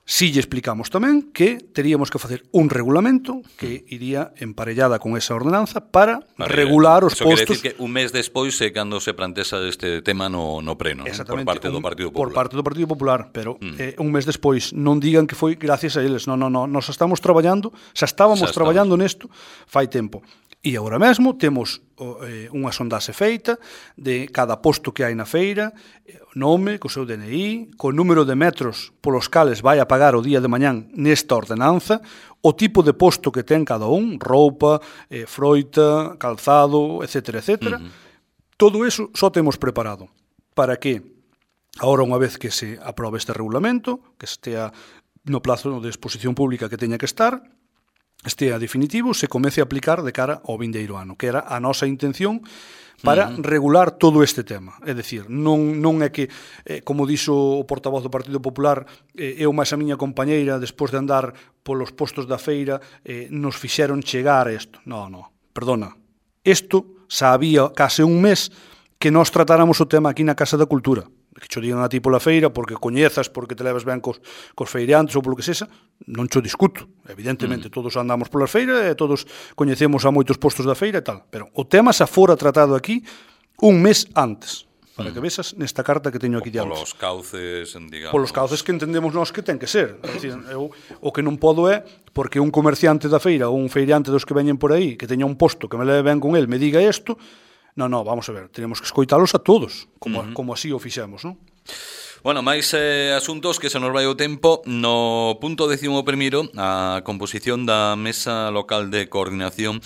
Si lle explicamos tamén que teríamos que facer un regulamento que iría emparellada con esa ordenanza para regular os postos. Eso quere dicir que un mes despois é cando se plantesa este tema no pleno, por parte do Partido Popular. Por parte do Partido Popular, pero un mes despois non digan que foi gracias a eles. Non, nós estamos traballando, xa estábamos traballando nesto fai tempo. E agora mesmo temos unha sondaxe feita de cada posto que hai na feira, nome, co seu DNI, co número de metros polos cales vai a pagar o día de mañán nesta ordenanza, o tipo de posto que ten cada un, roupa, froita, calzado, etc. Todo eso só temos preparado para que, agora unha vez que se aprobe este regulamento, que estea no plazo de exposición pública que teña que estar, estea definitivo, se comece a aplicar de cara ao vindeiro ano, que era a nosa intención para regular todo este tema. É dicir, non é que, como dixo o portavoz do Partido Popular, eu máis a miña compañeira, despois de andar polos postos da feira, nos fixeron chegar a isto. Non, perdona. Isto xa había case un mes que nós tratáramos o tema aquí na Casa da Cultura. Que xo digan a ti pola feira, porque coñezas, porque te leves ben cos feirantes ou polo que sexa, non xo discuto. Evidentemente, todos andamos polas feiras e todos coñecemos a moitos postos da feira e tal. Pero o tema xa fora tratado aquí un mes antes, para que vexas nesta carta que teño aquí diante. Polos cauces, digamos. Polos cauces que entendemos nós que ten que ser. É dicir, eu o que non podo é, porque un comerciante da feira ou un feirante dos que veñen por aí, que teña un posto que me leve ben con el, me diga isto. Non, vamos a ver, tenemos que escoitalos a todos, como así o fixemos, non? Bueno, máis asuntos que se nos vai o tempo. No punto 11º, a composición da Mesa Local de Coordinación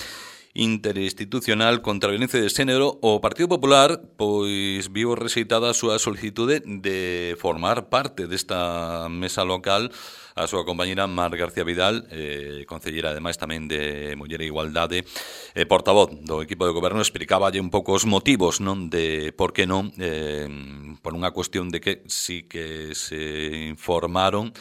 Interinstitucional contra a Violencia de Xénero, o Partido Popular pois viu rexeitada a súa solicitude de formar parte desta mesa local a súa compañera Mar García Vidal, concellera ademais tamén de Muller e Igualdade, portavoz do equipo de goberno, explicaballe un pouco os motivos, non, de por que non, por unha cuestión de que sí que se informaron,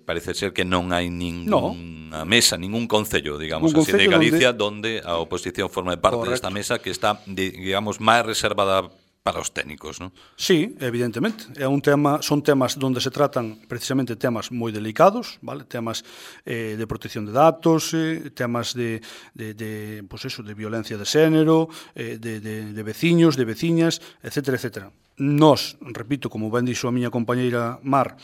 parece ser que non hai ninguna mesa, ningún concello, digamos así, de Galicia donde a oposición forma parte desta mesa que está, digamos, máis reservada para os técnicos, non? Sí, evidentemente. É un tema, son temas onde se tratan precisamente temas moi delicados, vale? Temas de protección de datos, temas de violencia de xénero, de veciños, de veciñas, etcétera. Nós, repito, como ben dixo a miña compañeira Mar,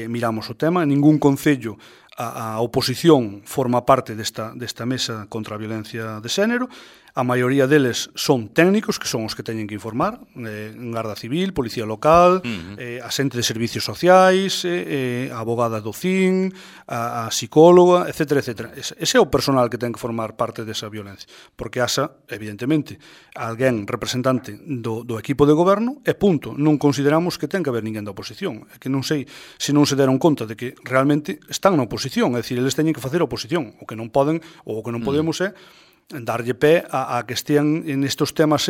miramos o tema, ningún concello a oposición forma parte desta mesa contra a violencia de xénero. A maioría deles son técnicos, que son os que teñen que informar, Garda Civil, Policía Local, a xente de servicios sociais, a abogada do CIN, a psicóloga, etcétera. Ese é o personal que ten que formar parte desa violencia, porque haxa, evidentemente, alguén representante do equipo de goberno e punto. Non consideramos que ten que haber ninguén da oposición. É que non sei se non se deron conta de que realmente están na oposición, é dicir, eles teñen que facer oposición. O que non poden ou o que non podemos é darlle pé a que estean nestes temas,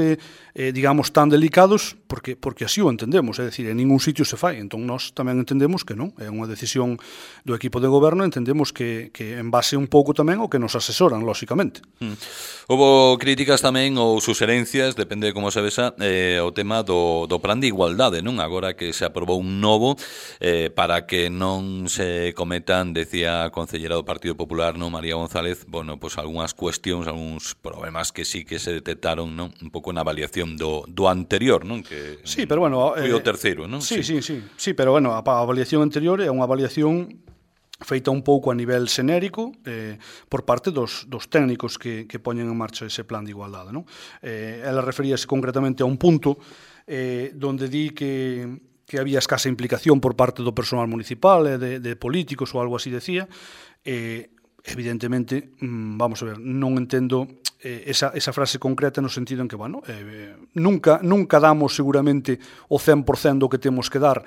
digamos, tan delicados, porque así o entendemos, é dicir, en ningún sitio se fai. Entón, nós tamén entendemos que non, é unha decisión do equipo de goberno, entendemos que en base un pouco tamén o que nos asesoran, lóxicamente. Houbo críticas tamén ou suxerencias, depende de como se vesa, o tema do plan de igualdade, non? Agora que se aprobou un novo para que non se cometan, decía a concellera do Partido Popular, non, María González, bueno, pues algunhas cuestións, algúns problemas que sí que se detectaron, non? Un pouco na avaliación do anterior, non? Que sí, pero bueno, foi o terceiro, non? Sí, pero bueno, a avaliación anterior é unha avaliación feita un pouco a nivel xenérico por parte dos técnicos que poñen en marcha ese plan de igualdade, non? Ela referíase concretamente a un punto donde di que había escasa implicación por parte do personal municipal, de políticos ou algo así decía. evidentemente, vamos a ver, non entendo esa frase concreta no sentido en que, bueno, nunca damos seguramente o 100% do que temos que dar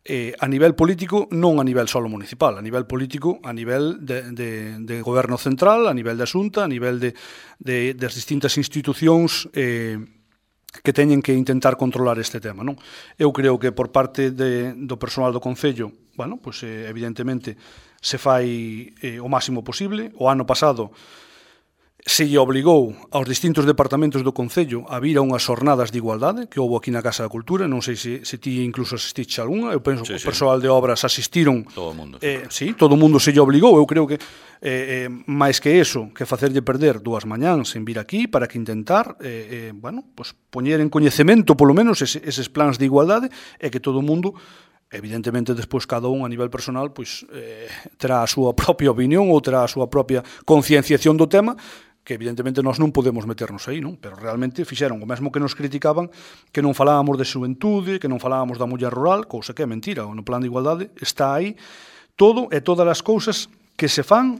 a nivel político, non a nivel solo municipal, a nivel político, a nivel de goberno central, a nivel de Xunta, a nivel das distintas institucións que teñen que intentar controlar este tema, non? Eu creo que por parte do persoal do Concello, bueno, pues evidentemente se fai o máximo posible. O ano pasado se lle obligou aos distintos departamentos do Concello a vir a unhas xornadas de igualdade que houve aquí na Casa da Cultura. Non sei se ti incluso asististe a algunha. Eu penso que o persoal de obras asistiron. Todo o mundo. Sí, todo o mundo se lle obligou. Eu creo que máis que eso, que facerlle perder 2 mañáns en vir aquí para que intentar bueno, pues poñer en coñecemento polo menos eses plans de igualdade e que todo o mundo, evidentemente despois cada un a nivel personal, pois terá a súa propia opinión ou terá a súa propia concienciación do tema, que evidentemente nós non podemos meternos aí, non? Pero realmente fixeron o mesmo que nos criticaban, que non falábamos de xuventude, que non falábamos da muller rural, cousa que é mentira. No plan de igualdade está aí todo e todas as cousas que se fan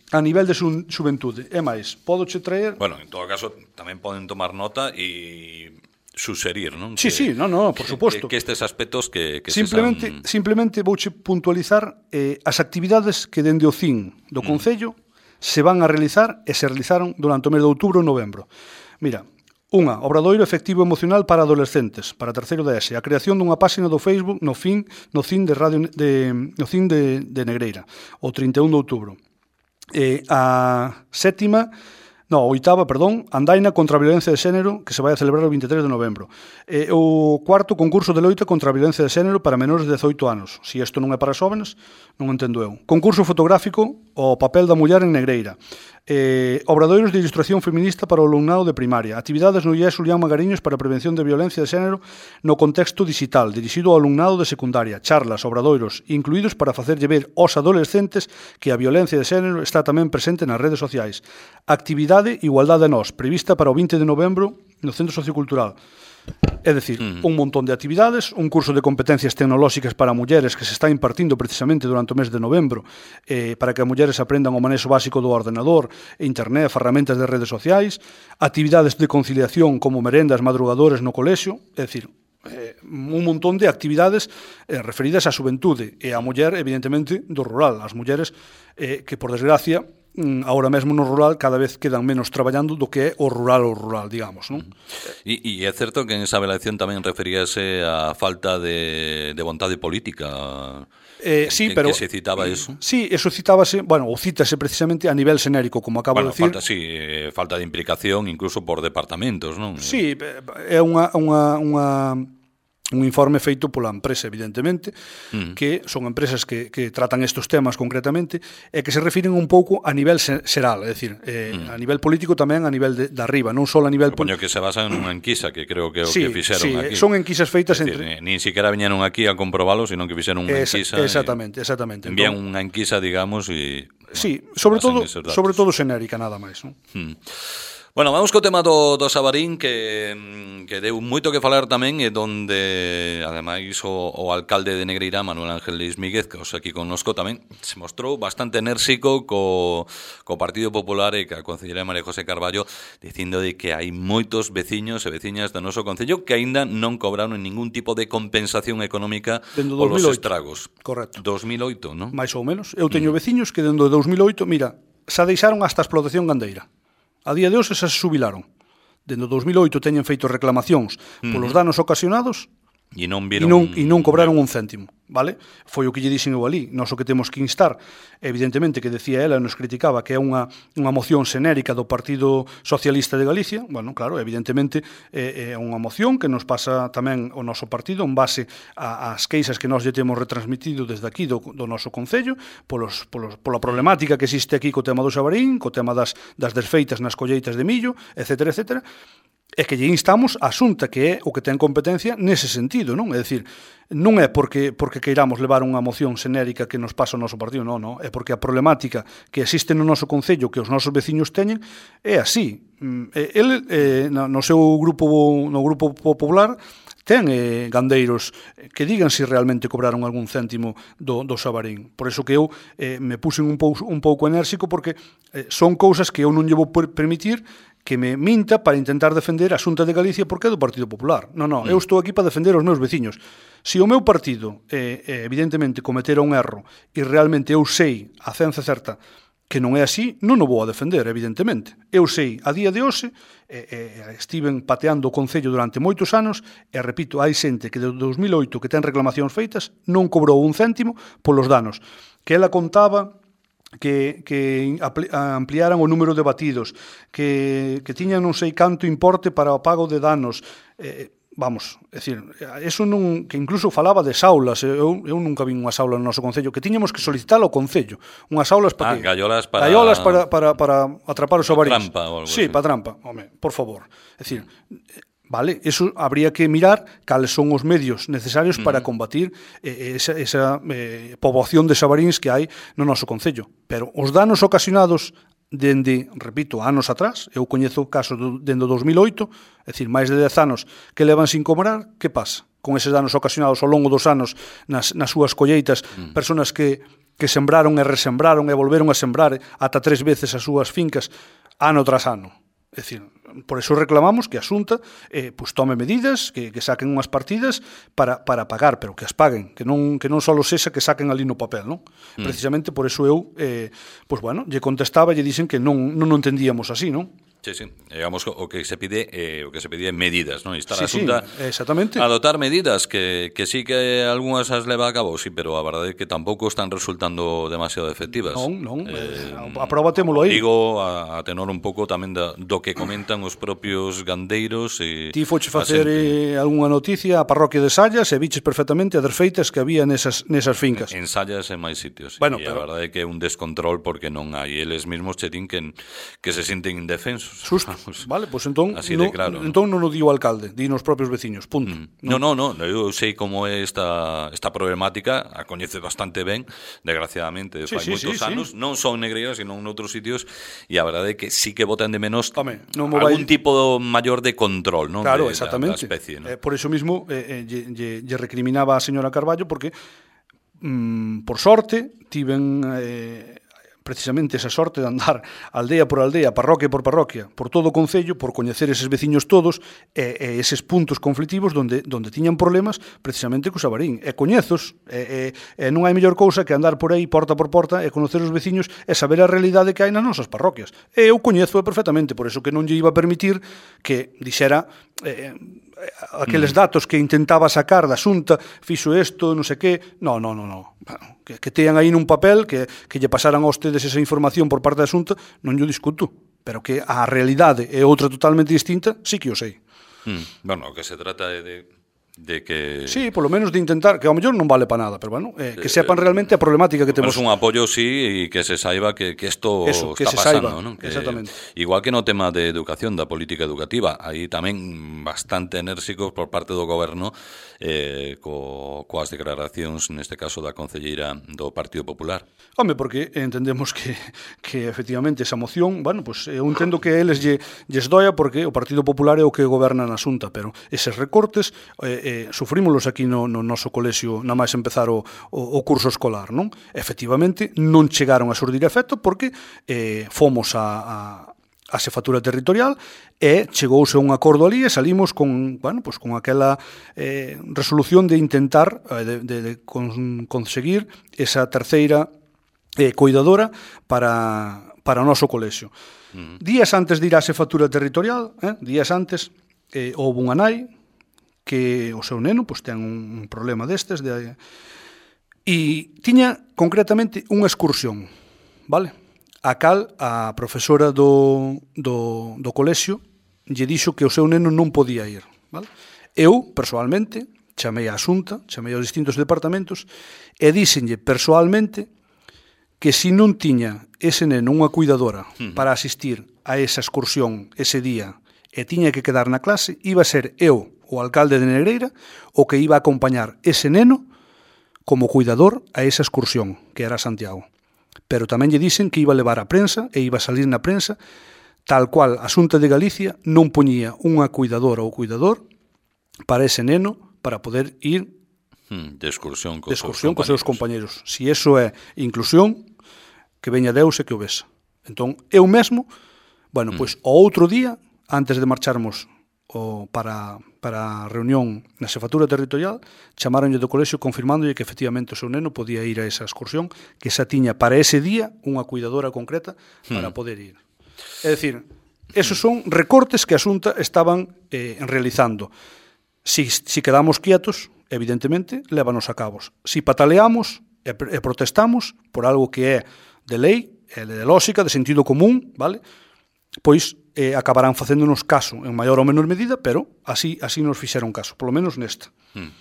a nivel de xuventude. É máis, podoche traer... Bueno, en todo caso, tamén poden tomar nota e suxerir, non? Sí, por suposto. Que estes aspectos que simplemente vouche puntualizar as actividades que dende o CIN do Concello se van a realizar e se realizaron durante o mes de outubro e novembro. Mira, unha, obradoiro efectivo emocional para adolescentes, para terceiro de ESE, a creación dunha páxina do Facebook no CIN de Negreira, o 31 de outubro. Oitava, andaina contra a violencia de xénero, que se vai a celebrar o 23 de novembro. O cuarto concurso de loita contra a violencia de xénero para menores de 18 anos. Si isto non é para xóvenes, non entendo eu. Concurso fotográfico, o papel da muller en Negreira. Obradoiros de ilustración feminista para o alumnado de primaria. Actividades no IES Julián Magariños para a prevención de violencia de xénero no contexto digital, dirixido ao alumnado de secundaria. Charlas, obradoiros, incluídos para facerlle ver aos adolescentes que a violencia de xénero está tamén presente nas redes sociais. Actividade Igualdade a Nós, prevista para o 20 de novembro no Centro Sociocultural. É dicir, un montón de actividades, un curso de competencias tecnolóxicas para mulleres que se está impartindo precisamente durante o mes de novembro para que as mulleres aprendan o manexo básico do ordenador, internet, ferramentas de redes sociais, actividades de conciliación como merendas madrugadores no colexio, é dicir, un montón de actividades referidas á xuventude e á muller, evidentemente, do rural. As mulleres que, por desgracia, agora mesmo no rural cada vez quedan menos traballando do que é o rural, digamos, non? E é certo que en esa avaliación tamén referíase a falta de vontade política. Sí, pero que se citaba eso. Sí, eso citábase, bueno, ou cítase precisamente a nivel xenérico, como acabo de decir. Falta de implicación incluso por departamentos, non? Sí, é un informe feito pola empresa, evidentemente, que son empresas que tratan estes temas concretamente e que se refiren un pouco a nivel xeral, é dicir, a nivel político tamén a nivel de arriba, non só a nivel político. Que se basan nunha enquisa, que creo que é o que fixeron aquí. Son enquisas feitas entre... Nin siquiera viñeron aquí a comprobalo, sino que fixeron unha enquisa. Exactamente. Envían unha enquisa, digamos, e... Sí, sobre todo xenérica, nada máis, non? Bueno, vamos co tema do Xabarín, que deu moito que falar tamén, e donde, ademais, o alcalde de Negreira, Manuel Ángel Leis Míguez, que os aquí connosco tamén, se mostrou bastante enérxico co Partido Popular e ca concelleira María José Carballo, dicindo de que hai moitos veciños e veciñas do noso concello que aínda non cobraron ningún tipo de compensación económica polos estragos. Correcto. 2008, non? Mais ou menos. Eu teño veciños que dentro de 2008, mira, xa deixaron hasta a explotación gandeira. A día de hoxe xa se xubilaron. Dende 2008 teñen feito reclamacións polos danos ocasionados e non cobraron un céntimo, vale? Foi o que lle dixen eu ali. Nós o que temos que instar, evidentemente, que decía ela, nos criticaba que é unha moción xenérica do Partido Socialista de Galicia. Bueno, claro, evidentemente é unha moción que nos pasa tamén o noso partido en base ás queixas que nós lle temos retransmitido desde aquí do noso concello pola problemática que existe aquí co tema do Xabarín, co tema das desfeitas nas colleitas de millo, etcétera, etcétera. É que lle instamos a Xunta, que é o que ten competencia nese sentido, non? É dicir, non é porque queiramos levar unha moción xenérica que nos pasa o noso partido, non, é porque a problemática que existe no noso concello, que os nosos veciños teñen, é así. El, no seu grupo popular, ten gandeiros que digan se realmente cobraron algún céntimo do xabarín. Por eso que eu me puxen un pouco enérxico, porque son cousas que eu non lle vou permitir que me minta para intentar defender a Xunta de Galicia porque é do Partido Popular. Non, eu estou aquí para defender os meus veciños. Se o meu partido, evidentemente, cometera un erro e realmente eu sei a ciencia certa que non é así, non o vou a defender, evidentemente. Eu sei, a día de hoxe, estiven pateando o Concello durante moitos anos, e repito, hai xente que de 2008 que ten reclamacións feitas non cobrou un céntimo polos danos. Que ela contaba que ampliaran o número de batidos, que tiñan non sei canto importe para o pago de danos. Vamos, é dicir, eso non, que incluso falaba de saulas. Eu nunca vi unha saula no noso Concello, que tiñamos que solicitar ao Concello unhas saulas para gallolas para atrapar o xabarín. Trampa ou algo sí, así. Para trampa, home, por favor. É dicir, vale, eso habría que mirar cales son os medios necesarios para combatir esa poboación de xabaríns que hai no noso Concello. Pero os danos ocasionados dende, repito, anos atrás, eu coñezo casos dende o 2008, é dicir, máis de 10 anos que levan sin cobrar, que pasa? Con eses danos ocasionados ao longo dos anos nas súas colleitas, personas que sembraron e resembraron e volveron a sembrar ata 3 veces as súas fincas ano tras ano. É dicir, por eso reclamamos que a Xunta tome medidas, que saquen unhas partidas para pagar, pero que as paguen, que non só sexa que saquen ali no papel, non? Precisamente por eso eu, lle contestaba e lle dixen que non entendíamos así, non? Sí, sí. Digamos, o que se pide é medidas, non? Instar a Sí, Xunta exactamente. a adoptar medidas que sí que algunhas as leva a cabo, sí, pero a verdade é que tampouco están resultando demasiado efectivas. Non. A prova témolo aí. Digo, a tenor un pouco tamén do que comentan os propios gandeiros e Ti foche facer algunha noticia a parroquia de Sallas e viches perfectamente as desfeitas que había nesas fincas. En Sallas e máis sitios. Bueno, e a verdade é que é un descontrol porque non hai. Eles mesmos che din que se sinten indefensos. Susto, vale, pois entón claro, entón non o di o alcalde, di nos propios veciños, punto. Non, eu sei como é esta problemática, a coñece bastante ben, desgraciadamente, fai moitos anos, non só en Negreira, sino en outros sitios, e a verdade é que sí que botan de menos algún tipo maior de control, non? Claro, Da exactamente. especie, non? Por eso mismo lle recriminaba a señora Carballo porque por sorte tiven precisamente esa sorte de andar aldea por aldea, parroquia por parroquia, por todo o Concello, por coñecer eses veciños todos e eses puntos conflitivos donde tiñan problemas precisamente co xabarín. E coñezos, non hai mellor cousa que andar por aí porta por porta e conocer os veciños e saber a realidade que hai nas nosas parroquias. E eu coñezo perfectamente, por eso que non lle iba a permitir que dixera aqueles datos que intentaba sacar da Xunta, fixo isto, non sei que, non. Que tean aí nun papel, que lle pasaran a ustedes esa información por parte da Xunta, non lle discuto, pero que a realidade é outra totalmente distinta, sí que o sei. Bueno, o que se trata é de que... Sí, polo menos de intentar, que ao mellor non vale para nada, pero bueno, que sepan realmente a problemática que temos. Un apoio, sí, e que se saiba que isto está pasando, non? Exactamente. Igual que no tema de educación, da política educativa, aí tamén bastante enérxicos por parte do goberno coas declaracións, neste caso da concelleira do Partido Popular. Home, porque entendemos que efectivamente esa moción, bueno, pues eu entendo que eles lles doia porque o Partido Popular é o que goberna na Xunta, pero eses recortes sufrímolos aquí no noso colexio na máis empezar o curso escolar, non? Efectivamente, non chegaron a surdir efecto porque fomos a xefatura territorial e chegouse a un acordo ali e salimos con aquela resolución de intentar de conseguir esa terceira cuidadora para o noso colexio. Días antes de ir á xefatura territorial, días antes, houve unha nai que o seu neno ten un problema destes e tiña concretamente unha excursión, vale? A cal a profesora do colexio lle dixo que o seu neno non podía ir, vale? Eu, persoalmente, chamei á Xunta, chamei aos distintos departamentos e díxenlle persoalmente que se non tiña ese neno unha cuidadora para asistir a esa excursión ese día e tiña que quedar na clase, iba a ser eu, o alcalde de Negreira, o que iba a acompañar ese neno como cuidador a esa excursión, que era Santiago. Pero tamén lle dixen que iba a levar a prensa e iba a salir na prensa tal cual a Xunta de Galicia non poñía unha cuidadora ou cuidador para ese neno para poder ir de excursión cos seus compañeros. Si eso é inclusión, que veña Deus e que o vexa. Entón, eu mesmo, pois, o outro día, antes de marcharmos para a reunión na xefatura territorial, chamaronlle do colexio confirmándolle que efectivamente o seu neno podía ir a esa excursión, que xa tiña para ese día unha cuidadora concreta para poder ir. É dicir, esos son recortes que a Xunta estaban realizando. Si quedamos quietos, evidentemente, lévanos a cabos. Si pataleamos e protestamos por algo que é de lei, de lógica, de sentido común, vale? Pois acabarán facéndonos caso en maior ou menor medida, pero así nos fixeron caso, polo menos nesta.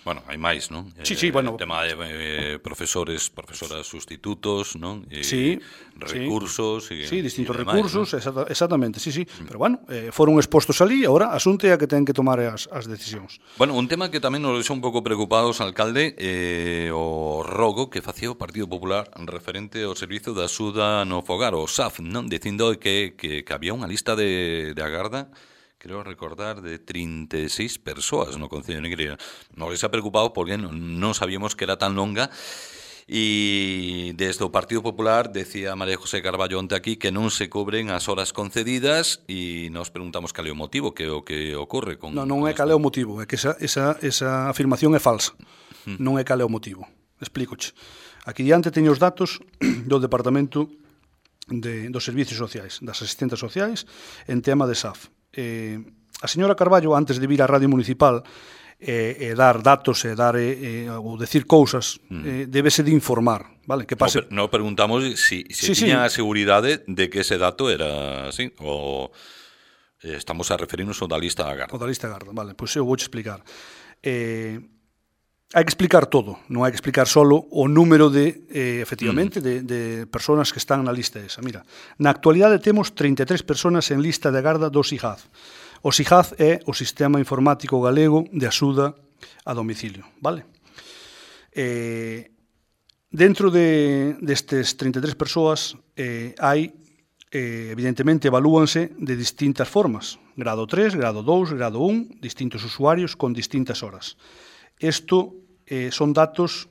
Bueno, hai máis, non? Sí, bueno. O tema de profesoras sustitutos, non? Sí. Recursos. Sí, distintos recursos, ¿no? Exactamente, sí. Pero bueno, foron expostos ali, agora a Xunta é a que ten que tomar as decisións. Bueno, un tema que tamén nos deixou un pouco preocupados, alcalde, o rogo que facía o Partido Popular referente ao Servizo de Axuda no Fogar, o SAF, non? Dicindo que había unha lista de agarda, creo recordar, de 36 persoas no Concello de Negreira. Nos deixa preocupado porque non sabíamos que era tan longa. E desde o Partido Popular decía María José Carballo onte aquí que non se cubren as horas concedidas e nos preguntamos cal é o motivo, que é o que ocorre con... Non é cal é o motivo, é que esa afirmación é falsa. Non é cal é o motivo. Explícoche. Aquí diante teño os datos do Departamento dos Servicios Sociais, das asistentes sociais, en tema de SAF. A señora Carballo, antes de vir á Radio Municipal dar datos ou decir cousas, débese de informar, vale? Que pase... No preguntamos si tiña a seguridade de que ese dato era así, ou estamos a referirnos ao da lista da Garda. O da lista da Garda, vale, pois eu vou explicar. Hai que explicar todo, non hai que explicar solo o número efectivamente, de persoas que están na lista esa. Mira, na actualidade temos 33 persoas en lista de garda do SIGAD. O SIGAD é o Sistema Informático Galego de Axuda a Domicilio, vale? Dentro destes 33 persoas hai, evidentemente, evalúanse de distintas formas. Grado 3, grado 2, grado 1, distintos usuarios con distintas horas. Isto son datos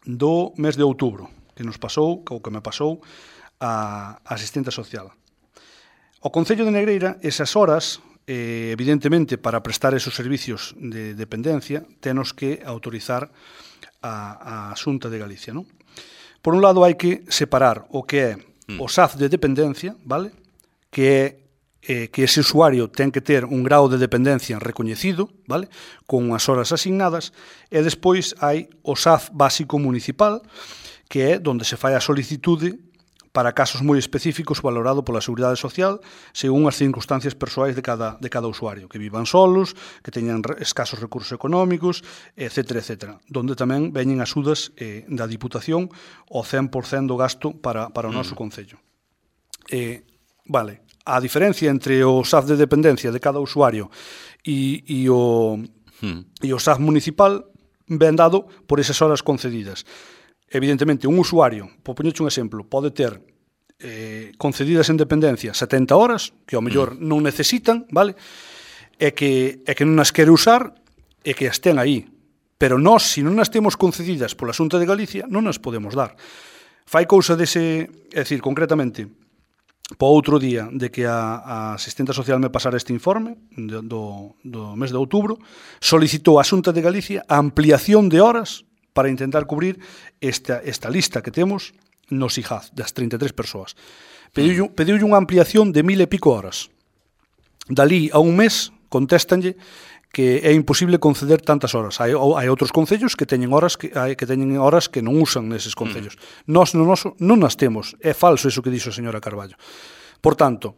do mes de outubro, que nos pasou, ou que me pasou, a asistente social. O Concello de Negreira, esas horas, evidentemente, para prestar esos servicios de dependencia, tenos que autorizar a Xunta de Galicia, non? Por un lado, hai que separar o que é o SAF de dependencia, vale? Que é que ese usuario ten que ter un grau de dependencia recoñecido, vale? Con unhas horas asignadas, e despois hai o SAF básico municipal, que é onde se fai a solicitude para casos moi específicos valorado pola Seguridade Social según as circunstancias persoais de cada usuario, que vivan solos, que teñan escasos recursos económicos, etc. Donde tamén veñen axudas da Diputación ao 100% do gasto para o noso Concello. Vale. A diferencia entre o SAF de dependencia de cada usuario e o SAF municipal ven dado por esas horas concedidas. Evidentemente, un usuario, por poñerche un exemplo, pode ter concedidas en dependencia 70 horas, que ao mellor non necesitan, vale? E que non as quere usar e que as ten aí. Pero nós, se non as temos concedidas pola Xunta de Galicia, non as podemos dar. Fai cousa dese, é dicir, concretamente, po outro día de que a asistente social me pasara este informe do mes de outubro, solicitou a Xunta de Galicia a ampliación de horas para intentar cubrir esta lista que temos no SIGAD, das 33 persoas. Pediulle unha ampliación de 1000 e pico horas. Dalí a un mes, contéstanlle que é imposible conceder tantas horas. Hai outros concellos que teñen horas que non usan neses concellos. Nós no noso non as temos. É falso iso que dixo a señora Carballo. Por tanto,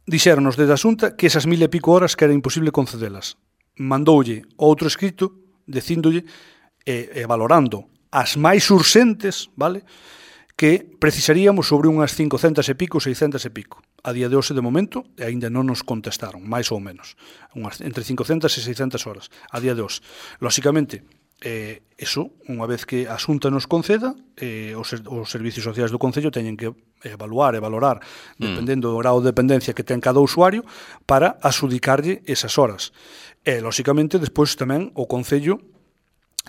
dixéronos desde a Xunta que esas 1000 e pico horas que era imposible concedelas. Mandoulle outro escrito dicíndolle e valorando as máis urxentes, vale? Que precisaríamos sobre unhas 500 e pico, 600 e pico. A día de hoxe, de momento, aínda non nos contestaron, máis ou menos. Entre 500 e 600 horas, a día de hoxe. Lóxicamente, eso, unha vez que a Xunta nos conceda, os servicios sociais do Concello teñen que evaluar e valorar, dependendo do grado de dependencia que ten cada usuario, para adxudicarlle esas horas. E, lóxicamente, despois tamén o Concello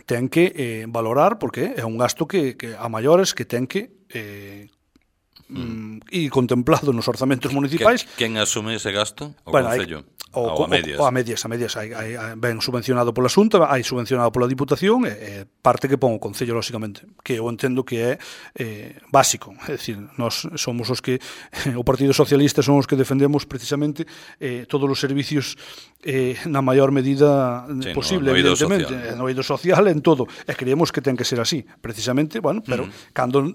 ten que valorar, porque é un gasto que a maiores que ten que e contemplado nos orzamentos municipais. Quen asume ese gasto? O Concello? A medias. A medias. Hai ben subvencionado pola Xunta, hai subvencionado pola Diputación, e parte que pon o Concello, lóxicamente, que eu entendo que é básico. É dicir, nós somos os que, o Partido Socialista son os que defendemos precisamente todos os servicios na maior medida posible, evidentemente, no eido social, en todo. E creemos que ten que ser así, precisamente, bueno, pero cando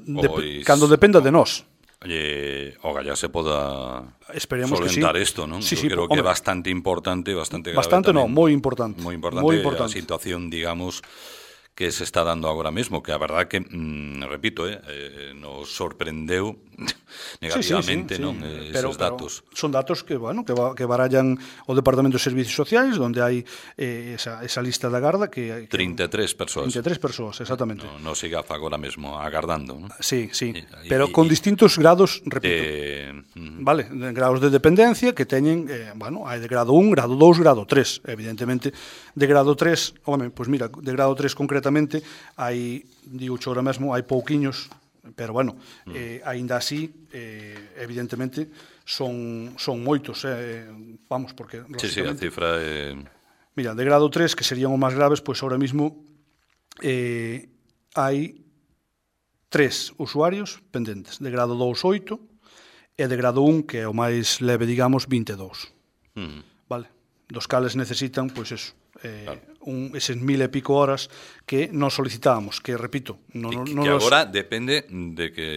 dependa de nós. Oye, ojalá se poda solventar isto, non? Sí, creo que é bastante importante, bastante grave. Bastante non, moi importante. Moi importante a situación, digamos, que se está dando agora mesmo, que a verdad que, repito, nos sorprendeu negativamente, non? Esos datos. Son datos que, bueno, que barallan o Departamento de Servicios Sociais, onde hai esa lista da Garda que 33 persoas. 33 persoas, exactamente. No se gafa agora mesmo agardando, non? Sí, pero con distintos grados, repito. Vale, grados de dependencia que teñen, bueno, hai de grado 1, grado 2, grado 3, evidentemente. De grado 3, pois mira, de grado 3 concretamente hai, digo agora mesmo, hai pouquiños, pero bueno, aínda así, evidentemente, son moitos, vamos, porque... Sí, a cifra é... Mira, de grado 3, que serían os máis graves, pois ahora mismo hai 3 usuarios pendentes, de grado 2, 8, e de grado 1, que é o máis leve, digamos, 22. Vale? Dos cales necesitan, pois eso, eses 1000 e pico horas que nos solicitábamos, que repito, que agora depende de que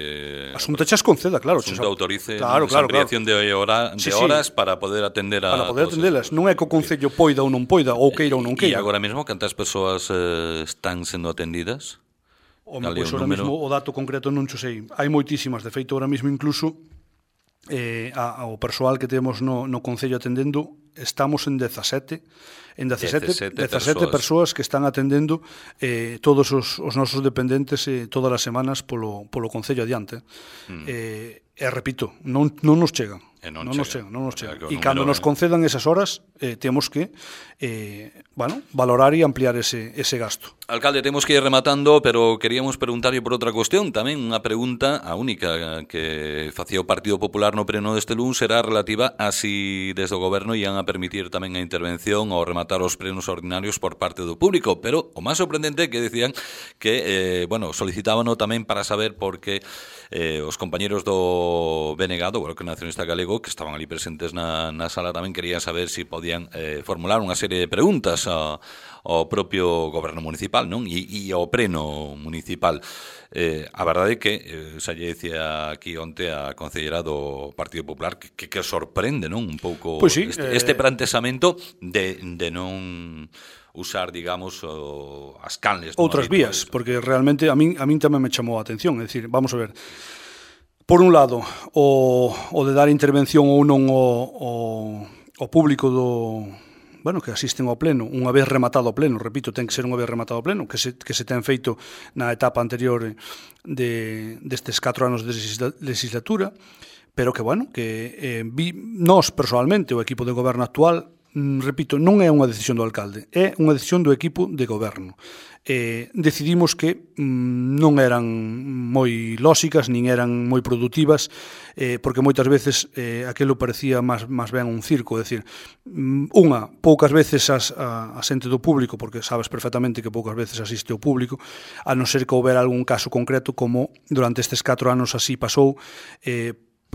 a Xunta chas conceda, claro, a Xunta autorice esa ampliación de horas para poder atender a para poder atendelas, non é que o Concello poida ou non poida, ou queira ou non queira. E agora mesmo cantas persoas están sendo atendidas? Pois agora mesmo o dato concreto non xo sei. Hai moitísimas, de feito agora mesmo incluso o persoal que temos no Concello atendendo, estamos en 17 persoas que están atendendo todos os nosos dependentes todas as semanas polo Concello adiante. E repito, non nos chegan. Non nos chegan. E cando nos concedan esas horas, temos que valorar e ampliar ese gasto. Alcalde, temos que ir rematando, pero queríamos preguntarlle por outra cuestión. Tamén unha pregunta, a única que facía o Partido Popular no pleno deste luns, era relativa a si desde o Goberno ian a permitir tamén a intervención ou rematar os plenos ordinarios por parte do público. Pero o máis sorprendente é que decían que, solicitábano tamén para saber por que os compañeros do BNG, do Bloque Nacionalista Galego, que estaban ali presentes na sala, tamén querían saber si podían formular unha serie de preguntas ao propio goberno municipal, non? E ao pleno municipal. A verdade é que xa lle dicía aquí onte a concellera do Partido Popular que sorprende, non? Un pouco pues sí, este planteamento de non usar, digamos, as canles. Outras vías, porque realmente a min tamén me chamou a atención. É dicir, vamos a ver, por un lado, o de dar intervención ou non ao público que asisten ao pleno, unha vez rematado o pleno, repito, ten que ser unha vez rematado o pleno, que se ten feito na etapa anterior destes 4 anos de legislatura, pero que, nós, personalmente, o equipo de goberno actual, repito, non é unha decisión do alcalde, é unha decisión do equipo de goberno. Decidimos que non eran moi lóxicas, nin eran moi productivas, porque moitas veces aquilo parecía máis ben un circo, é dicir, poucas veces a xente do público, porque sabes perfectamente que poucas veces asiste o público, a non ser que houbera algún caso concreto, como durante estes 4 anos así pasou,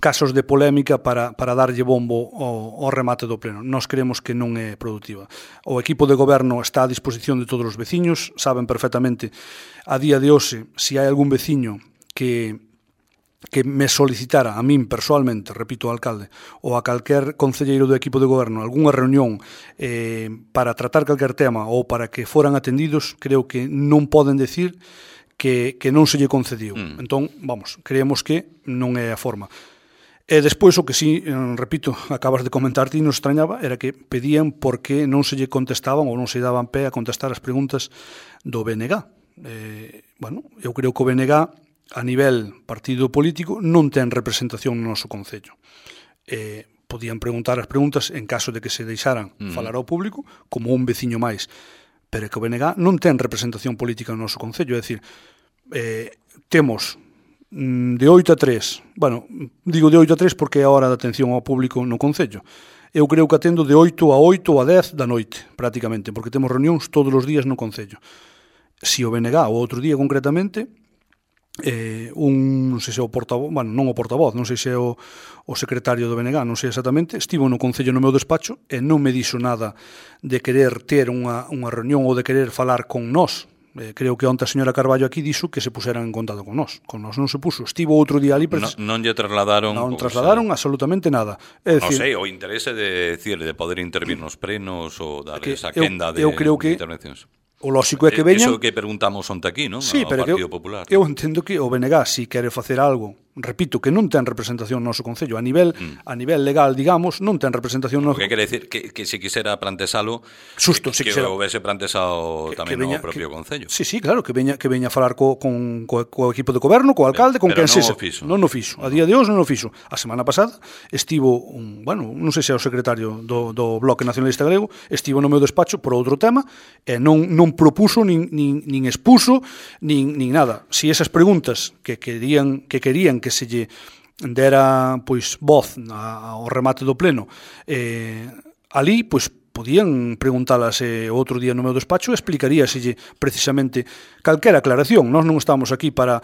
casos de polémica para darlle bombo ao remate do pleno. Nós creemos que non é productiva. O equipo de goberno está a disposición de todos os veciños, saben perfectamente a día de hoxe se hai algún veciño que me solicitara a min persoalmente, repito, ao alcalde, ou a calquer concelleiro do equipo de goberno algunha reunión para tratar calquer tema ou para que foran atendidos, creo que non poden decir que non se lle concediu. Entón, creemos que non é a forma. E despois o que sí, repito, acabas de comentar ti, nos extrañaba, era que pedían por que non se lle contestaban ou non se daban pé a contestar as preguntas do BNG. Bueno, eu creo que o BNG a nivel partido político non ten representación no noso Concello. Podían preguntar as preguntas en caso de que se deixaran falar ao público como un veciño máis, pero que o BNG non ten representación política no noso Concello, é dicir, temos de 8 a 3, bueno, digo de 8 a 3 porque é a hora de atención ao público no Concello. Eu creo que atendo de 8 a 8 ou a 10 da noite, prácticamente, porque temos reunións todos os días no Concello. Si o BNG, o outro día concretamente, non sei se é o portavoz, bueno, non o portavoz, non sei se é o secretario do BNG, non sei exactamente, estivo no Concello no meu despacho e non me dixo nada de querer ter unha reunión ou de querer falar con nós. Creo que onte a señora Carballo aquí dixo que se puseran en contacto con nós non se puso, estivo outro día ali non lle trasladaron absolutamente nada, é dicir, non sei, o interese de poder intervir nos plenos ou dar esa quenda de intervencións. O lóxico é que veñan... Iso que preguntamos onte aquí, non? Sí, pero Partido Popular. Eu entendo que o BNG, si quere facer algo, repito, que non ten representación no noso Concello, a nivel legal, digamos, non ten representación no... O que quere decir que se quisera plantexalo, xusto, que houvese plantexado tamén no propio Concello. Sí, claro, que veña a falar co equipo de goberno, co alcalde, con quen sexa. Non o fixo. A día de hoxe non o fixo. A semana pasada estivo, non sei se é o secretario do Bloque Nacionalista Galego, estivo no meu despacho por outro tema e non propuso, nin expuso, nin nada. Si esas preguntas que querían que se lle dera voz ao remate do pleno ali, podían preguntalas outro día no meu despacho e explicaríaselle precisamente calquera aclaración. Nós non estamos aquí para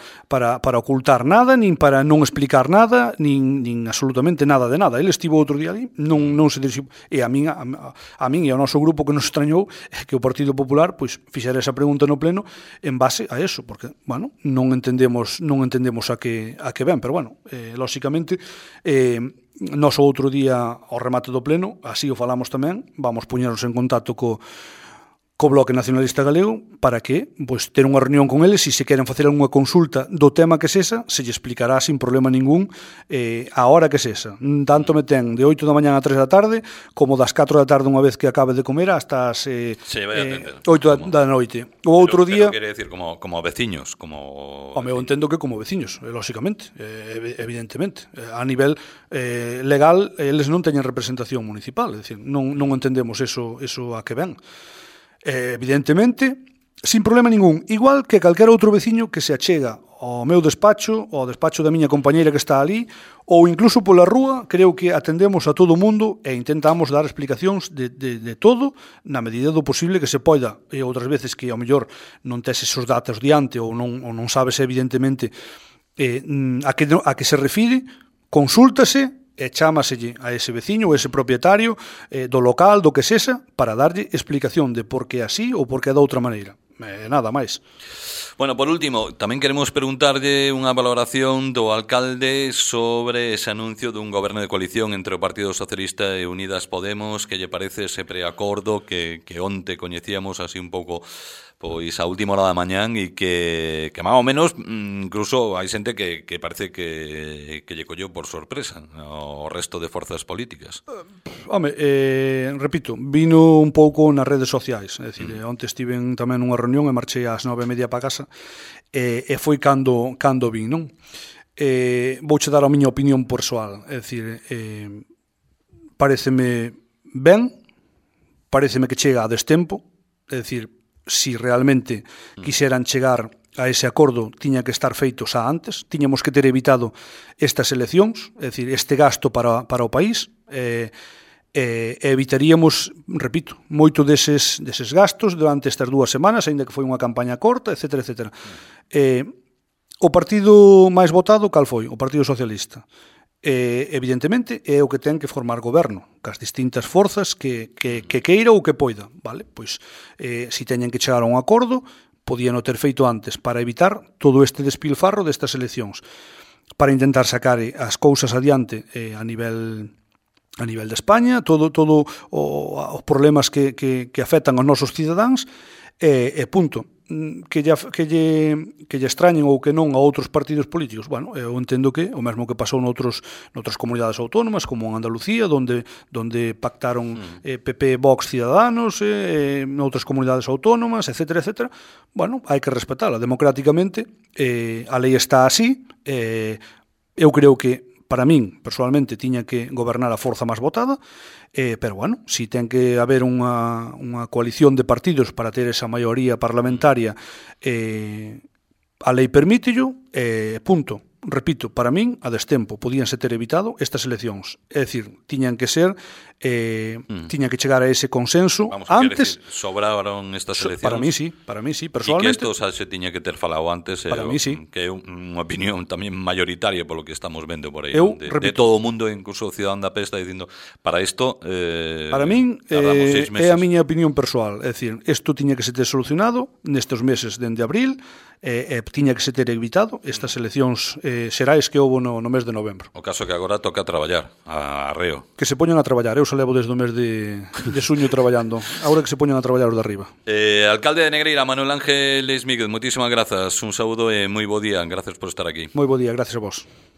ocultar nada, nin para non explicar nada, nin absolutamente nada de nada. Ele estivo outro día ali, non se dirixiu, e a min e ao noso grupo que nos extrañou é que o Partido Popular fixera esa pregunta no pleno en base a eso, porque, non entendemos a que ven, pero, lóxicamente, nós outro día ao remate do pleno, así o falamos tamén, vamos poñernos en contacto co Bloque Nacionalista Galego para que ter unha reunión con eles e se queren facer unha consulta do tema que sexa, se lle explicará sin problema ningún a hora que sexa. Tanto me ten de 8 da mañá a 3 da tarde como das 4 da tarde unha vez que acabe de comer hasta as 8 da noite. O outro día... Pero quere decir como veciños, como... Eu entendo que como veciños, lóxicamente, evidentemente. A nivel legal, eles non teñen representación municipal, é dicir, non entendemos eso a que ven. Evidentemente, sin problema ningún, igual que calquera outro veciño que se achega ao meu despacho, ao despacho da miña compañeira que está ali, ou incluso pola rúa, creo que atendemos a todo o mundo e intentamos dar explicacións de todo na medida do posible que se poida. E outras veces que ao mellor non tes esos datos diante ou non sabes evidentemente a que se refire, consúltase e chámaselle a ese veciño ou ese propietario do local, do que sexa, para darlle explicación de por que así ou por que da outra maneira. Nada máis. Bueno, por último, tamén queremos preguntarlle unha valoración do alcalde sobre ese anuncio dun goberno de coalición entre o Partido Socialista e Unidas Podemos, que lle parece ese preacordo que onte coñecíamos así un pouco a última hora da mañán e que máis ou menos incluso hai xente que parece que lle colleu por sorpresa ao resto de forzas políticas. Repito, vino un pouco nas redes sociais, é dicir, onte estiven tamén nunha reunión e marchei ás 9:30 para casa e foi cando vin, non? Vouche dar a miña opinión persoal, é dicir, paréceme ben, paréceme que chega a destempo, é dicir, si realmente quixeran chegar a ese acordo, tiña que estar feito xa antes, tiñamos que ter evitado estas eleccións, é dicir, este gasto para o país, evitaríamos, repito, moito deses gastos durante estas 2 semanas, aínda que foi unha campaña corta, etcétera, etcétera. O partido máis votado, cal foi? O Partido Socialista. Evidentemente é o que ten que formar goberno cas distintas forzas que queira ou que poida, vale? Pois se teñen que chegar a un acordo podían o ter feito antes para evitar todo este despilfarro destas eleccións, para intentar sacar as cousas adiante a nivel de España, todo os problemas que afectan aos nosos cidadáns, e punto. que lle extrañen ou que non a outros partidos políticos. Bueno, eu entendo que o mesmo que pasou noutras comunidades autónomas, como en Andalucía, donde pactaron PP, Vox, Ciudadanos, noutras comunidades autónomas, etcétera, etcétera. Bueno, hai que respetala democráticamente. A lei está así. Eu creo que para min, personalmente, tiña que gobernar a forza máis votada, pero, bueno, si ten que haber unha coalición de partidos para ter esa maioría parlamentaria, a lei permítello, punto. Repito, para min, a destempo, podíanse ter evitado estas eleccións. É dicir, tiñan que ser, tiñan que chegar a ese consenso. Vamos, antes. Decir, sobraron estas eleccións. Para mí sí, personalmente. E que isto xa se tiña que ter falado antes, para mí sí. Que é unha opinión tamén mayoritaria polo que estamos vendo por aí. De todo o mundo, incluso o cidadán da pesta, dicindo, para isto para min é a miña opinión persoal. É dicir, isto tiña que se ter solucionado nestes meses dende abril, tiña que se ter evitado estas eleccións xerais que houve no mes de novembro. O caso que agora toca traballar a reo. Que se poñan a traballar. Eu xa levo desde o mes de xuño traballando. Agora que se poñan a traballar os de arriba. Alcalde de Negreira, Manuel Ángel Míguez, moitísimas grazas. Un saúdo e moi bo día. Gracias por estar aquí. Moi bo día, gracias a vos.